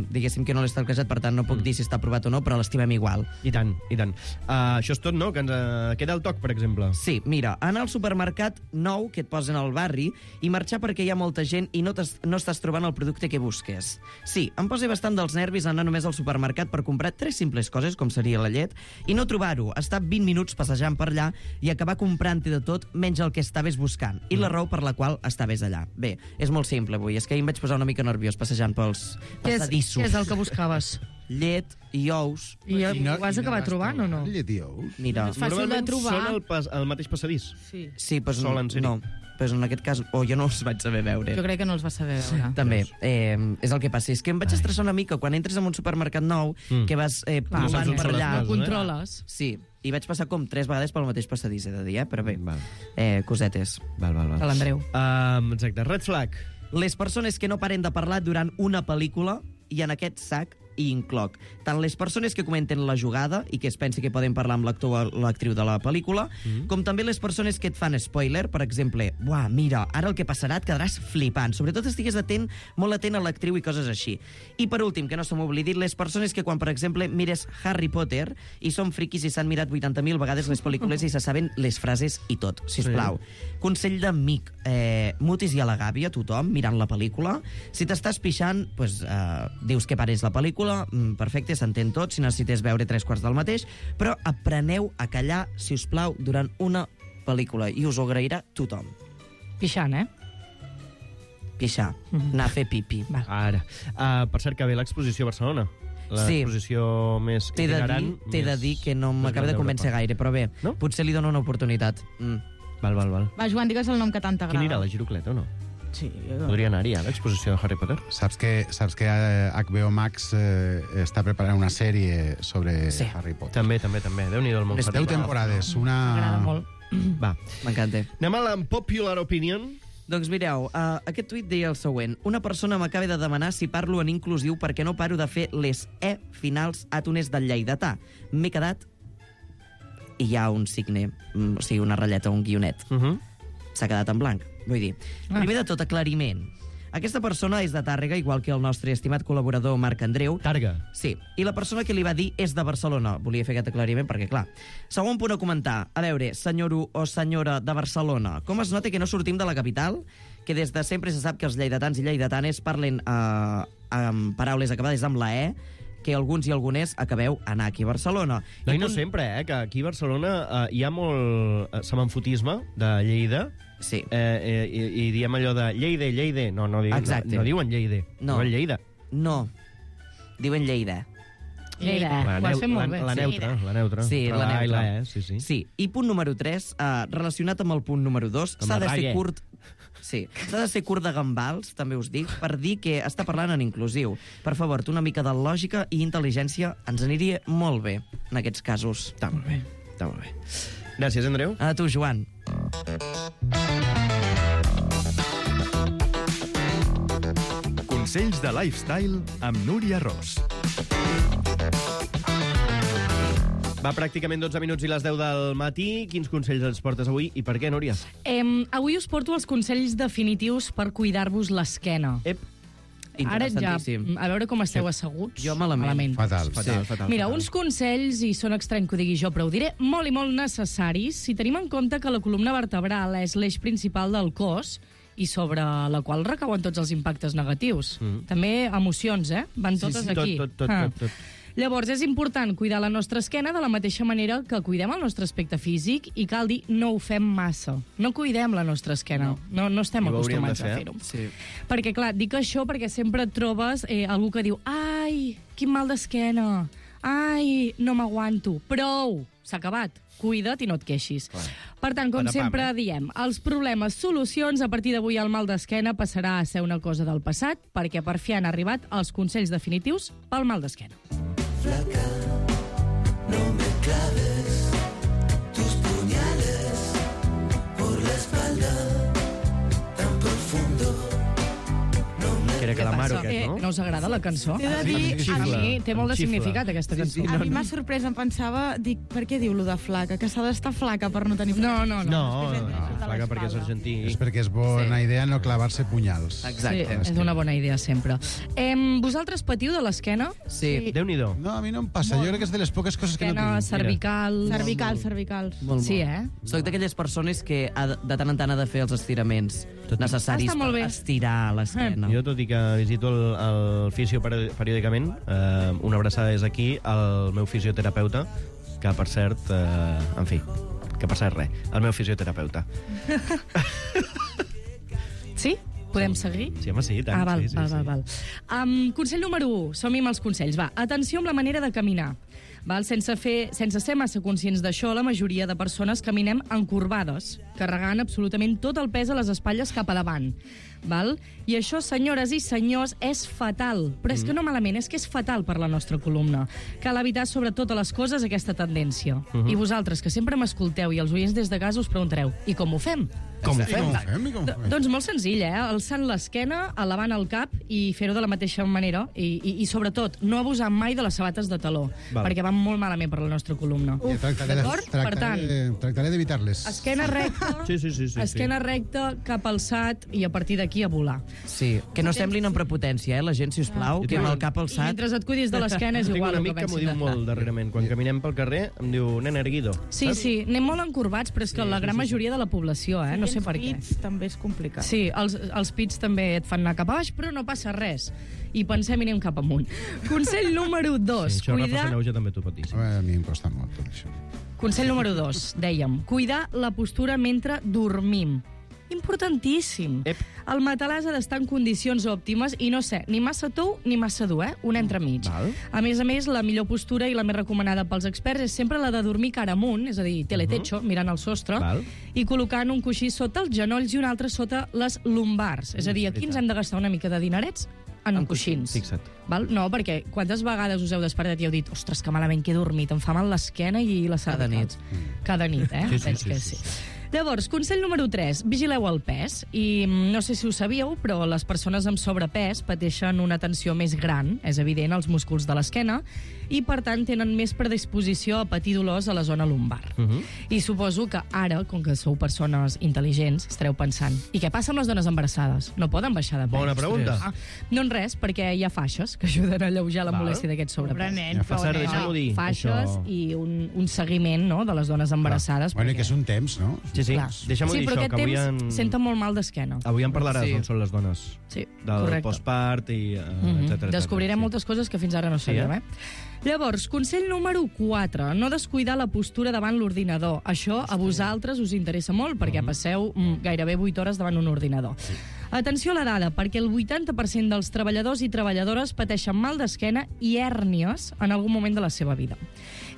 diguéssim que no l'he stalkejat, per tant no puc dir si està aprovat o no, però l'estimem igual. I tant, i tant. Uh, això és tot, no? Que ens uh, queda el toc, per exemple. Sí, mira, anar al supermercat nou que et posen al barri i marxar perquè hi ha molta gent i no, no estàs trobant el producte que busques. Sí, em posa bastant dels nervis anar només al supermercat per comprar tres simples coses, com seria la llet, i no trobar-ho, estar vint minuts passejant per allà i acabar comprant-hi de tot menys el que estaves buscant, i la raó per la qual estaves allà. Bé, és molt simple avui, és que ahir em vaig posar una mica nerviós passejant pels Què és, passadissos. què és el que buscaves? Llet i ous. I, I no, ho vas acabar trobant o no? Llet i ous? Mira, És fàcil de Normalment trobar. són el, pas, el mateix passadís. Sí. sí, doncs Solen ser-hi. no, però en aquest cas, o jo no els vaig saber veure. Jo crec que no els vas saber veure. També, eh, és el que passa. És que em vaig estressar una mica quan entres en un supermercat nou, Mm. que vas eh, Clar, no saps provant on per són les allà. coses, Ho controles. Sí, i vaig passar com tres vegades pel mateix passadís, he de dir, eh? Però bé, Val. eh, cosetes. Val, val, val. De l'Andreu. Um, exacte. Red flag. Les persones que no paren de parlar durant una pel·lícula, i en aquest sac hi incloc tant les persones que comenten la jugada i que es pensi que poden parlar amb l'actor o l'actriu de la pel·lícula, mm. com també les persones que et fan spoiler, per exemple, buah, mira, ara el que passarà et quedaràs flipant. Sobretot estigues atent, molt atent a l'actriu i coses així. I per últim, que no se m'oblidi, les persones que quan, per exemple, mires Harry Potter i són friquis i s'han mirat vuitanta mil vegades les pel·lícules i se saben les frases i tot, sisplau. Sí. Consell d'amic, eh, mutis i a la gàbia, tothom, mirant la pel·lícula. Si t'estàs pixant, pues, eh, dius que pares la pel·lícula, perfecte, s'entén tot, si necessites veure tres quarts del mateix, però apreneu a callar, si us plau, durant una pel·lícula, i us ho agrairà tothom. Pixant, eh? Pixar, Mhm. anar a fer pipi. Va. Ara. Uh, per cert, que ve l'exposició a Barcelona. Sí. L'exposició més T'he de, itinerant. dir, t'he de més- dir que no més m'acaba gran de convèncer d'Europa. gaire, però bé, No? potser li dono una oportunitat. Mm. Val, val, val. Va, Joan, digues el nom que tant t'agrada. Quin era, la Girocleta o no? Sí. Podria anar-hi a l'exposició de Harry Potter? Saps que, saps que eh, H B O Max eh, està preparant una sèrie sobre Sí. Harry Potter. També, també, també. Déu-n'hi-do el món. Les Harry deu Potter. temporades, M'agrada una... molt. Va. M'encanta. Anem a la popular opinion. Doncs mireu, uh, aquest tuit deia el següent. Una persona m'acaba de demanar si parlo en inclusiu perquè no paro de fer les E finals àtones del lleidatà. M'he quedat... I hi ha un signe, mm, o sigui, una ratlleta, un guionet. Uh -huh. S'ha quedat en blanc. Vull dir, Ah. primer de tot, aclariment. Aquesta persona és de Tàrrega, igual que el nostre estimat col·laborador Marc Andreu. Targa. Sí, i la persona que li va dir és de Barcelona. Volia fer aquest aclariment perquè, clar... Segon punt a comentar. A veure, senyor o senyora de Barcelona, com es nota que no sortim de la capital? Que des de sempre se sap que els lleidatans i lleidatanes parlen eh, amb paraules acabades amb la E, que alguns i algunes acabeu anar aquí a Barcelona. No, i no punt- sempre, eh? Que aquí a Barcelona eh, hi ha molt eh, semanfotisme de Lleida. Sí. Eh, eh, i, I diem allò de Lleide, Lleide. No, no, diuen, Exacte. no, no diuen Lleide. No. Diuen Lleida. No. Diuen Lleida. Lleida. La, Ho has neu- fet molt la, bé. la Sí. neutra, la neutra. Sí, Però la A i neutra. la E, sí, sí. Sí, i punt número tres, eh, relacionat amb el punt número dos, Amb s'ha la de ser rague. curt... Sí, s'ha de ser curt de gambals, també us dic, per dir que està parlant en inclusiu. Per favor, una mica de lògica i intel·ligència ens aniria molt bé en aquests casos. Està molt bé, està molt bé. Gràcies, Andreu. A tu, Joan. Consells de lifestyle amb Núria Ros. Va, pràcticament dotze minuts i les deu del matí. Quins consells ens portes avui i per què, Núria? Em, avui us porto els consells definitius per cuidar-vos l'esquena. Ep. Ara ja, Interessantíssim. a veure com esteu asseguts. Jo malament. Fatal. Fatal, Sí. fatal. Mira, fatal. uns consells, i són estrany que ho digui jo, però ho diré molt i molt necessaris, si tenim en compte que la columna vertebral és l'eix principal del cos i sobre la qual recauen tots els impactes negatius. Mm. També emocions, eh? Van Sí, totes sí, aquí. tot, tot, tot, Ah. tot, tot. Llavors, és important cuidar la nostra esquena de la mateixa manera que cuidem el nostre aspecte físic i cal dir, no ho fem massa. No cuidem la nostra esquena. No, no, no estem I ho hauríem de acostumats a fer. fer-ho. Sí. Perquè, clar, dic això perquè sempre et trobes eh, algú que diu ai, quin mal d'esquena, ai, no m'aguanto. Prou, s'ha acabat. Cuida't i no et queixis. Clar. Per tant, com Patapam, sempre eh? diem, els problemes, solucions, a partir d'avui el mal d'esquena passarà a ser una cosa del passat, perquè per fi han arribat els consells definitius pel mal d'esquena. Què Pere Què Calamaro, passa? aquest, no? Eh, no us agrada la cançó? T'he de dir- A mi té molt de Xifla. significat, aquesta cançó. A mi m'ha sorprès, em pensava, dic, per què diu lo de flaca? Que s'ha d'estar flaca per no tenir... No, no, no. No, És que és- no, és de flaca perquè és l'espalda. argentí. És perquè és bona idea no clavar-se punyals. Sí, és una bona idea, sempre. Em, vosaltres patiu de l'esquena? Sí. Déu-n'hi-do. No, a mi no em passa. Jo crec que és de les poques coses que no Esquena, tinc. cervical... Cervicals, cervicals. Molt, Sí, molt. eh? Soc d'aquelles persones que ha de, de tant en tant ha de fer els estiraments necessaris Està molt per bé. estirar l'esquena. Jo, tot i que visito el, el fisio peri- periòdicament, eh, una abraçada és aquí, el meu fisioterapeuta, que per cert, eh, en fi, que per cert res, el meu fisioterapeuta. Sí? Podem seguir? Sí, home, sí, i tant. Ah, val, sí, sí, val, sí. val, val. Um, consell número u. Som-hi amb els consells. Va, atenció amb la manera de caminar. Val? Sense, fer, sense ser massa conscients d'això, la majoria de persones caminem encorbades, carregant absolutament tot el pes a les espatlles cap a davant. Val? I això, senyores i senyors, és fatal. Però és que no malament, és que és fatal per la nostra columna. Cal evitar, sobre totes les coses, aquesta tendència. Mhm. I vosaltres, que sempre m'escolteu, i els oients des de casa us preguntareu, i com ho fem? Com ho fem? Com ho fem? I com ho Do- fem? Doncs molt senzill, eh? Alçant l'esquena, elevant el cap i fer-ho de la mateixa manera. I, i, i sobretot, no abusar mai de les sabates de taló, Val. perquè van molt malament per la nostra columna. Ja tractaré de- D'acord? Per tant, tractaré, tractaré d'evitar-les. esquena recta, Sí, sí, sí, sí, esquena recta, cap alçat i a partir d'aquí a volar. Sí, que no semblin amb prepotència, eh, la gent, si us plau, que amb el cap I alçat... mentre et cuidis de l'esquena és Tinc igual un el que amic que m'ho pensi diu de- molt darrerament. Quan caminem pel carrer em diu, nen erguido. Sí, sí, anem molt encorbats, però és que la gran majoria de la població, eh? No sé per què. Pits, també és complicat. Sí, els, els pits també et fan anar cap a baix, però no passa res. I pensem i anem cap amunt. Consell número dos. Sí, això, Rafa cuidar... Saneuja, també t'ho pot dir. Sí. A mi em costa molt tot això. Consell número dos, dèiem, cuidar la postura mentre dormim. Importantíssim. Ep. El matalàs ha d'estar en condicions òptimes i no sé, ni massa tou ni massa dur, eh? Un entremig. Val. A més a més, la millor postura i la més recomanada pels experts és sempre la de dormir cara amunt, és a dir, teletecho, uh -huh. mirant al sostre, Val. i col·locant un coixí sota els genolls i un altre sota les lumbars. És a dir, aquí ens hem de gastar una mica de dinerets en coixins. Fixa't. Val? No, perquè quantes vegades us heu despertat i heu dit ostres, que malament que he dormit, em fa mal l'esquena i les Cada cervicals. Cada nit, eh? Sí, sí, Veig sí, que sí, sí. Llavors, consell número tres, vigileu el pes. I mm, no sé si ho sabíeu, però les persones amb sobrepès pateixen una tensió més gran, és evident, als músculs de l'esquena, i per tant tenen més predisposició a patir dolors a la zona lumbar. Uh -huh. I suposo que ara, com que sou persones intel·ligents, estareu pensant, i què passa amb les dones embarassades? No poden baixar de pes. Bona pregunta. Ah, no en res, perquè hi ha faixes que ajuden a alleujar la Val. molèstia d'aquest Pobre sobrepès. nen, Ja fa pobre cert, nen. deixem-ho dir. Faixes això. i un, un seguiment, no?, de les dones embarassades. Bueno, i perquè- que és un temps, no? Sí, sí. Clar. Deixa'm-ho sí, dir, però això, aquest que avui temps en... senten molt mal d'esquena. Avui en parlaràs Sí. d'on són les dones. Sí, Del correcte. postpart i uh, Mhm. etcètera. Descobrirem etcètera, moltes coses que fins ara no Sí, sabíem, eh? eh? Llavors, consell número quatre, no descuidar la postura davant l'ordinador. Això a vosaltres us interessa molt, perquè passeu mm, gairebé vuit hores davant un ordinador. Atenció a la dada, perquè el vuitanta per cent dels treballadors i treballadores pateixen mal d'esquena i hèrnies en algun moment de la seva vida.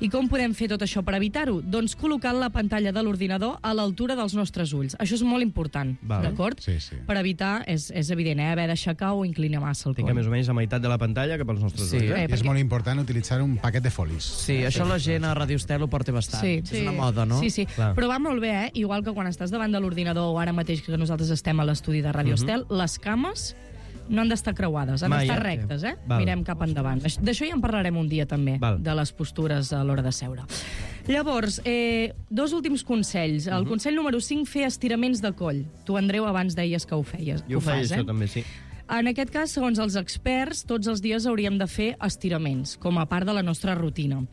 I com podem fer tot això per evitar-ho? Doncs col·locant la pantalla de l'ordinador a l'altura dels nostres ulls. Això és molt important, Val. d'acord? Sí, sí. Per evitar, és, és evident, eh, haver d'aixecar o inclinar massa el Tinc coll. més o menys a meitat de la pantalla cap als nostres Sí. ulls. Eh, Eh? I és perquè- molt important utilitzar un paquet de folis. Sí, això la gent a Radio Estel ho porta bastant. Sí. És una moda, no? Sí, sí. Clar. Però va molt bé, eh? Igual que quan estàs davant de l'ordinador o ara mateix que nosaltres estem a l'estudi de Radio Estel, les cames no han d'estar creuades, han Mai, d'estar eh? rectes, eh? Val. Mirem cap endavant. Aix- D'això ja en parlarem un dia també, Val. de les postures a l'hora de seure. Llavors, eh, dos últims consells. El consell número cinc, fer estiraments de coll. Tu, Andreu, abans deies que ho feies. Jo ho feia fas, això eh? també, sí. En aquest cas, segons els experts, tots els dies hauríem de fer estiraments, com a part de la nostra rutina.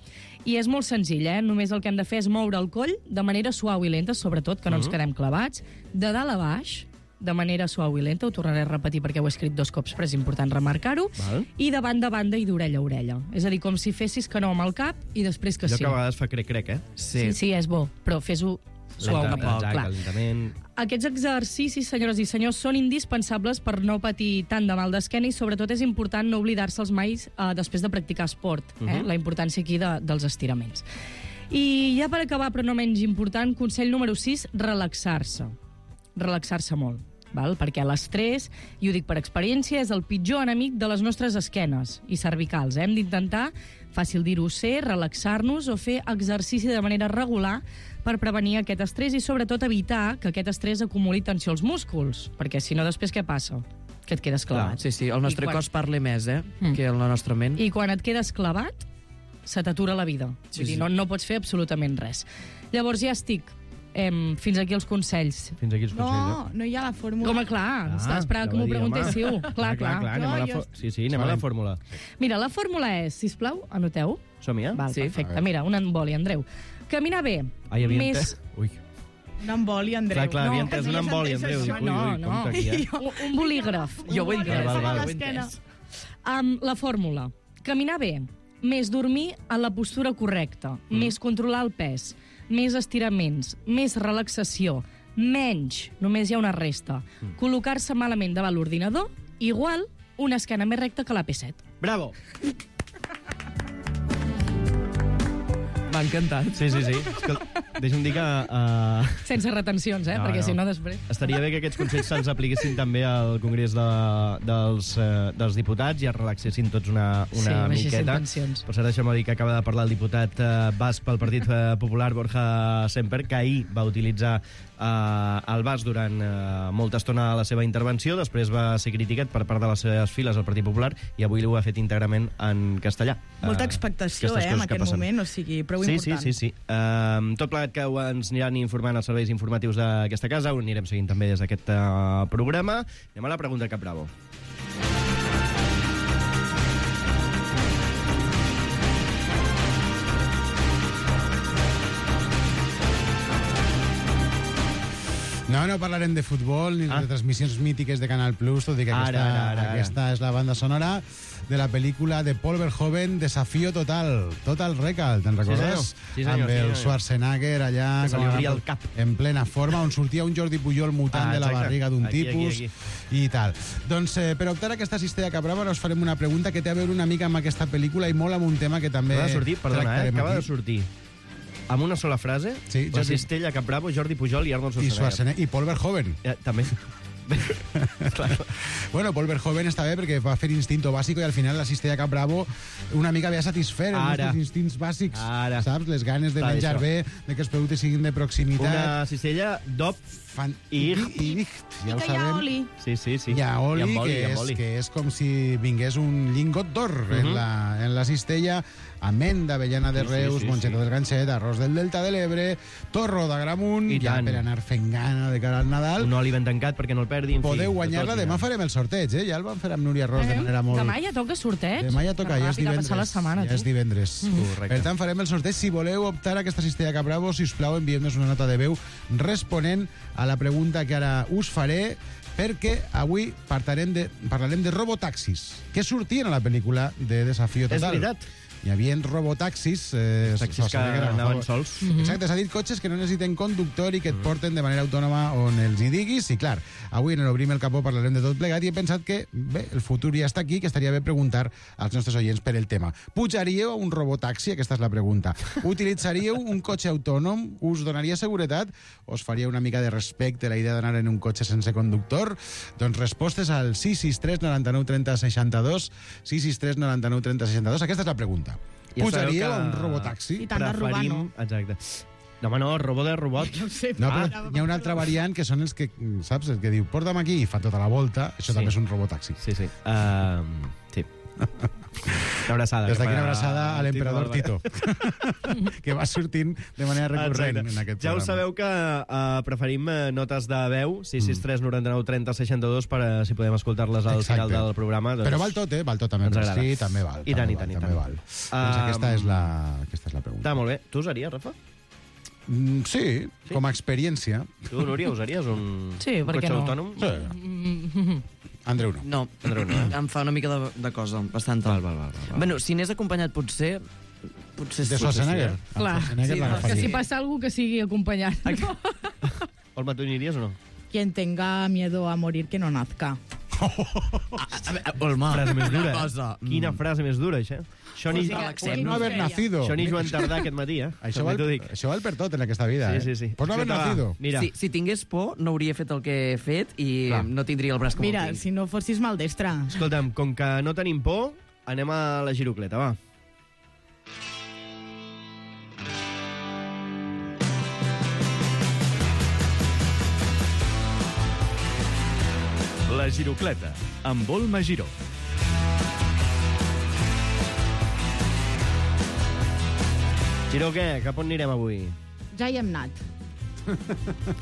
I és molt senzill, eh? Només el que hem de fer és moure el coll de manera suau i lenta, sobretot, que no ens quedem clavats, de dalt a baix, de manera suau i lenta, ho tornaré a repetir perquè ho he escrit dos cops, però és important remarcar-ho, Val. i de banda a banda i d'orella a orella. És a dir, com si fessis que no amb el cap i després que Allò sí. que a vegades fa crec-crec, eh? Sí, sí, és bo, però fes-ho suau Lenta, a poc, exacte, clar. lentament. Aquests exercicis, senyores i senyors, són indispensables per no patir tant de mal d'esquena i sobretot és important no oblidar-se'ls mai eh, després de practicar esport, eh? Mhm. La importància aquí de, dels estiraments. I ja per acabar, però no menys important, consell número sis, relaxar-se. Relaxar-se molt. Val? Perquè l'estrès, i ho dic per experiència, és el pitjor enemic de les nostres esquenes i cervicals. Eh? Hem d'intentar, fàcil dir-ho ser, relaxar-nos o fer exercici de manera regular per prevenir aquest estrès i sobretot evitar que aquest estrès acumuli tensió als músculs, perquè si no després què passa? que et quedes clavat. Sí, sí, el nostre I quan- cos parla més, eh, Mm. que la nostra ment. I quan et quedes clavat, se t'atura la vida. Sí, Vull dir, sí. no, no pots fer absolutament res. Llavors ja estic. Em, fins aquí els consells. Fins aquí els No, no hi ha la fórmula. Home, clar, ah, estava esperant que m'ho preguntéssiu. Clar, clar. clar, clar anem a la No, fo- sí, sí, anem a la fórmula. Mira, la fórmula és, sisplau, anoteu. Som-hi, eh? Val, Sí. perfecte. Mira, un emboli, Andreu. Caminar bé. Ah, hi havia més... entès? Ui. Un emboli, Andreu. Clar, clar, havia entès que un havies emboli, entès Andreu. això. Ui, ui, No, no. compte aquí, eh? Un, un bolígraf. Jo ho he Un entès, Val, val, val. ho he l'esquena. entès. Amb la fórmula. Caminar bé, més dormir en la postura correcta, mm. més controlar el pes, més estiraments, més relaxació, menys, només hi ha una resta, mm. col·locar-se malament davant l'ordinador, igual una esquena més recta que la P set. Bravo! M'ha encantat. Sí, sí, sí. Escolta, deixa'm dir que... Uh... Sense retencions, eh? No, Perquè no. si no després... Estaria bé que aquests consells se'ls apliquessin també al Congrés de, dels, uh, dels Diputats i es relaxessin tots una, una Sí, baixessin miqueta. tensions. Per cert, deixa'm dir que acaba de parlar el diputat uh, basc pel Partit uh, Popular, Borja Semper, que ahir va utilitzar uh, el basc durant uh, molta estona a la seva intervenció, després va ser criticat per part de les seves files al Partit Popular i avui ho ha fet íntegrament en castellà. Molta Uh, expectació, aquestes eh, en coses que aquest passen. moment, o sigui, prou Sí, important. sí, sí, sí. Uh, tot plegat que ho ens aniran informant els serveis informatius d'aquesta casa, ho anirem seguint també des d'aquest uh, programa. Anem a la pregunta Cap Bravo. No, no parlarem de futbol ni Ah. de transmissions mítiques de Canal Plus, tot i que Ara, aquesta, ara, ara, ara. aquesta és la banda sonora de la pel·lícula de Paul Verhoeven, Desafío Total, Total Recall, te'n recordes? senyor. Sí, senyor, Amb sí, el senyor. Schwarzenegger allà, Que se li com a- obria el cap. en plena forma, on sortia un Jordi Pujol mutant Ah, de la exacte. barriga d'un Aquí, aquí, tipus aquí. i tal. Doncs eh, per optar a aquesta cistella cabrava us farem una pregunta que té a veure una mica amb aquesta pel·lícula i molt amb un tema que també Acaba de sortir, perdona, eh? tractarem Acaba aquí. de sortir amb una sola frase, Sí, la Jordi- cistella Cap Bravo, Jordi Pujol i Arnold I, Schwarzenegger. Schwarzenegger, i Paul Verhoeven. Eh, també. Bueno, Paul Verhoeven està bé perquè va fer Instinto Básico i al final la cistella Cap Bravo una mica ve a satisfer els Ara. nostres instints bàsics, Ara. saps? Les ganes de Està menjar això. bé, de que els productes siguin de proximitat. Una cistella DOP Fan... i... I, i, ja ho I que hi ha sabem. oli. Sí, sí, sí. Hi ha oli, I amb oli, que, i amb és, oli. que és com si vingués un lingot d'or uh -huh. en, la, en la cistella, amenda, avellana de Sí, sí, Reus, sí, monxeta sí. del Ganxet, arròs del Delta de l'Ebre, torro d'Agramunt, I ja tant. per anar fent gana de cara al Nadal. Un oli ben tancat perquè no el perdi. En fi, Podeu de guanyar-la, tot, demà ja. farem el sorteig, eh? Ja el vam fer amb Núria Ros de Eh? manera molt... Demà ja toca sorteig. Demà ja toca, Que ja és ràpid ha divendres. passat la setmana, ja tu. és divendres. Correcte. Per tant, farem el sorteig. Si voleu optar a aquesta cistella Cap Bravo, sisplau, envieu-nos una nota de veu responent a la pregunta que ara us faré, perquè avui parlarem de, parlarem de robotaxis, que sortien a la pel·lícula de Desafío És Total. veritat. Hi havia robotaxis... Eh, Taxis que Schwarzenegger anaven agafava- sols. Exacte, s'ha dit cotxes que no necessiten conductor i que et porten de manera autònoma on els hi diguis. I clar, avui en l'Obrim el Capó parlarem de tot plegat i he pensat que, bé, el futur ja està aquí, que estaria bé preguntar als nostres oients per el tema. Pujaríeu a un robotaxi? Aquesta és la pregunta. Utilitzaríeu un cotxe autònom? Us donaria seguretat? Us faria una mica de respecte la idea d'anar en un cotxe sense conductor? Doncs respostes al sis sis tres noranta-nou trenta seixanta-dos, sis sis tres noranta-nou trenta seixanta-dos. Aquesta és la pregunta. Ja Pujaríeu sabeu a que un robotaxi? I tant de robar, no. Exacte. No, home, no, robot de robot. No ho sé, No, pa. però hi ha una altra variant que són els que, saps, el que diu porta'm aquí i fa tota la volta, això Sí. també és un robotaxi. Sí, sí. Uh, sí. Una abraçada. Des d'aquí cap una a abraçada a l'emperador Tito Tito, que va sortint de manera recurrent Exacte. en aquest Ja programa. ho sabeu que uh, preferim uh, notes de veu, sis sis tres noranta-nou trenta seixanta-dos, per uh, si podem escoltar-les al Exacte. final del programa. Doncs... Però val tot, eh? Val tot també. Ens agrada. Sí, també val. I tant, també i tant, val, i també tant. val. Doncs aquesta és la, aquesta és la pregunta. Està molt bé. Tu usaries, Rafa? Mm, sí, Sí? com a experiència. Tu, Núria, usaries un, Sí, un per què cotxe no? autònom? Mm, Andreu no. No, Andreu, no, eh? em fa una mica de, de cosa, bastanta. Val, val, val, val, val. Bueno, si n'és acompanyat, potser... Potser De sí. Schwarzenegger. sí, El Clar. Schwarzenegger Sí, l'agafaria. Que si passa algú que sigui acompanyat. No? Olma, tu aniries o no? Quien tenga miedo a morir, que no nazca. Olma, Frase més dura, una eh? cosa. Quina frase més dura, això. Això ni, Pues sí, Por no haver nacido. això ni Joan Tardà aquest matí, eh? Això També val, t'ho dic. això val per tot en aquesta vida, Sí, eh? sí, sí. Por no haver Escolta, va, nacido. Mira, Si, si tingués por, no hauria fet el que he fet i Clar. no tindria el braç com Mira, el tinc. si no fossis maldestre. escolta'm, com que no tenim por, anem a la girocleta, va. La La Girocleta, amb Volma Giró. Giró, què? Cap on anirem avui? Ja hi hem anat.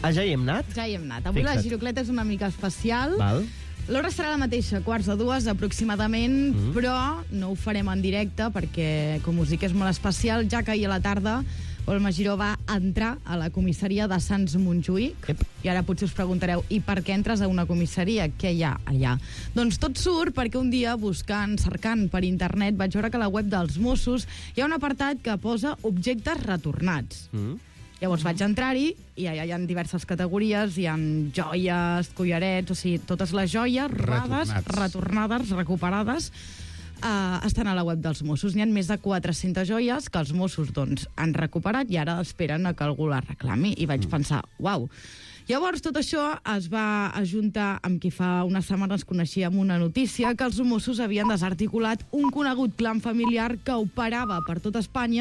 Ah, ja hi hem anat? Ja hi hem anat. Avui Fixa't. la Girocleta és una mica especial. Val. L'hora serà la mateixa, quarts de dues aproximadament, mm. però no ho farem en directe perquè, com us dic, és molt especial, ja que ahir a la tarda Volma Giró va entrar a la comissaria de Sants Montjuïc. Ep. I ara potser us preguntareu, i per què entres a una comissaria? Què hi ha allà? Doncs tot surt perquè un dia, buscant, cercant per internet, vaig veure que a la web dels Mossos hi ha un apartat que posa objectes retornats. Mm. Llavors vaig entrar-hi i allà hi ha diverses categories, hi ha joies, collarets, o sigui, totes les joies robades, Retornats. retornades, recuperades, Uh, estan a la web dels Mossos. N'hi ha més de quatre-centes joies que els Mossos doncs, han recuperat i ara esperen a que algú la reclami. I vaig mm. pensar, uau. Llavors, tot això es va ajuntar amb qui fa unes setmanes coneixíem una notícia que els Mossos havien desarticulat un conegut clan familiar que operava per tot Espanya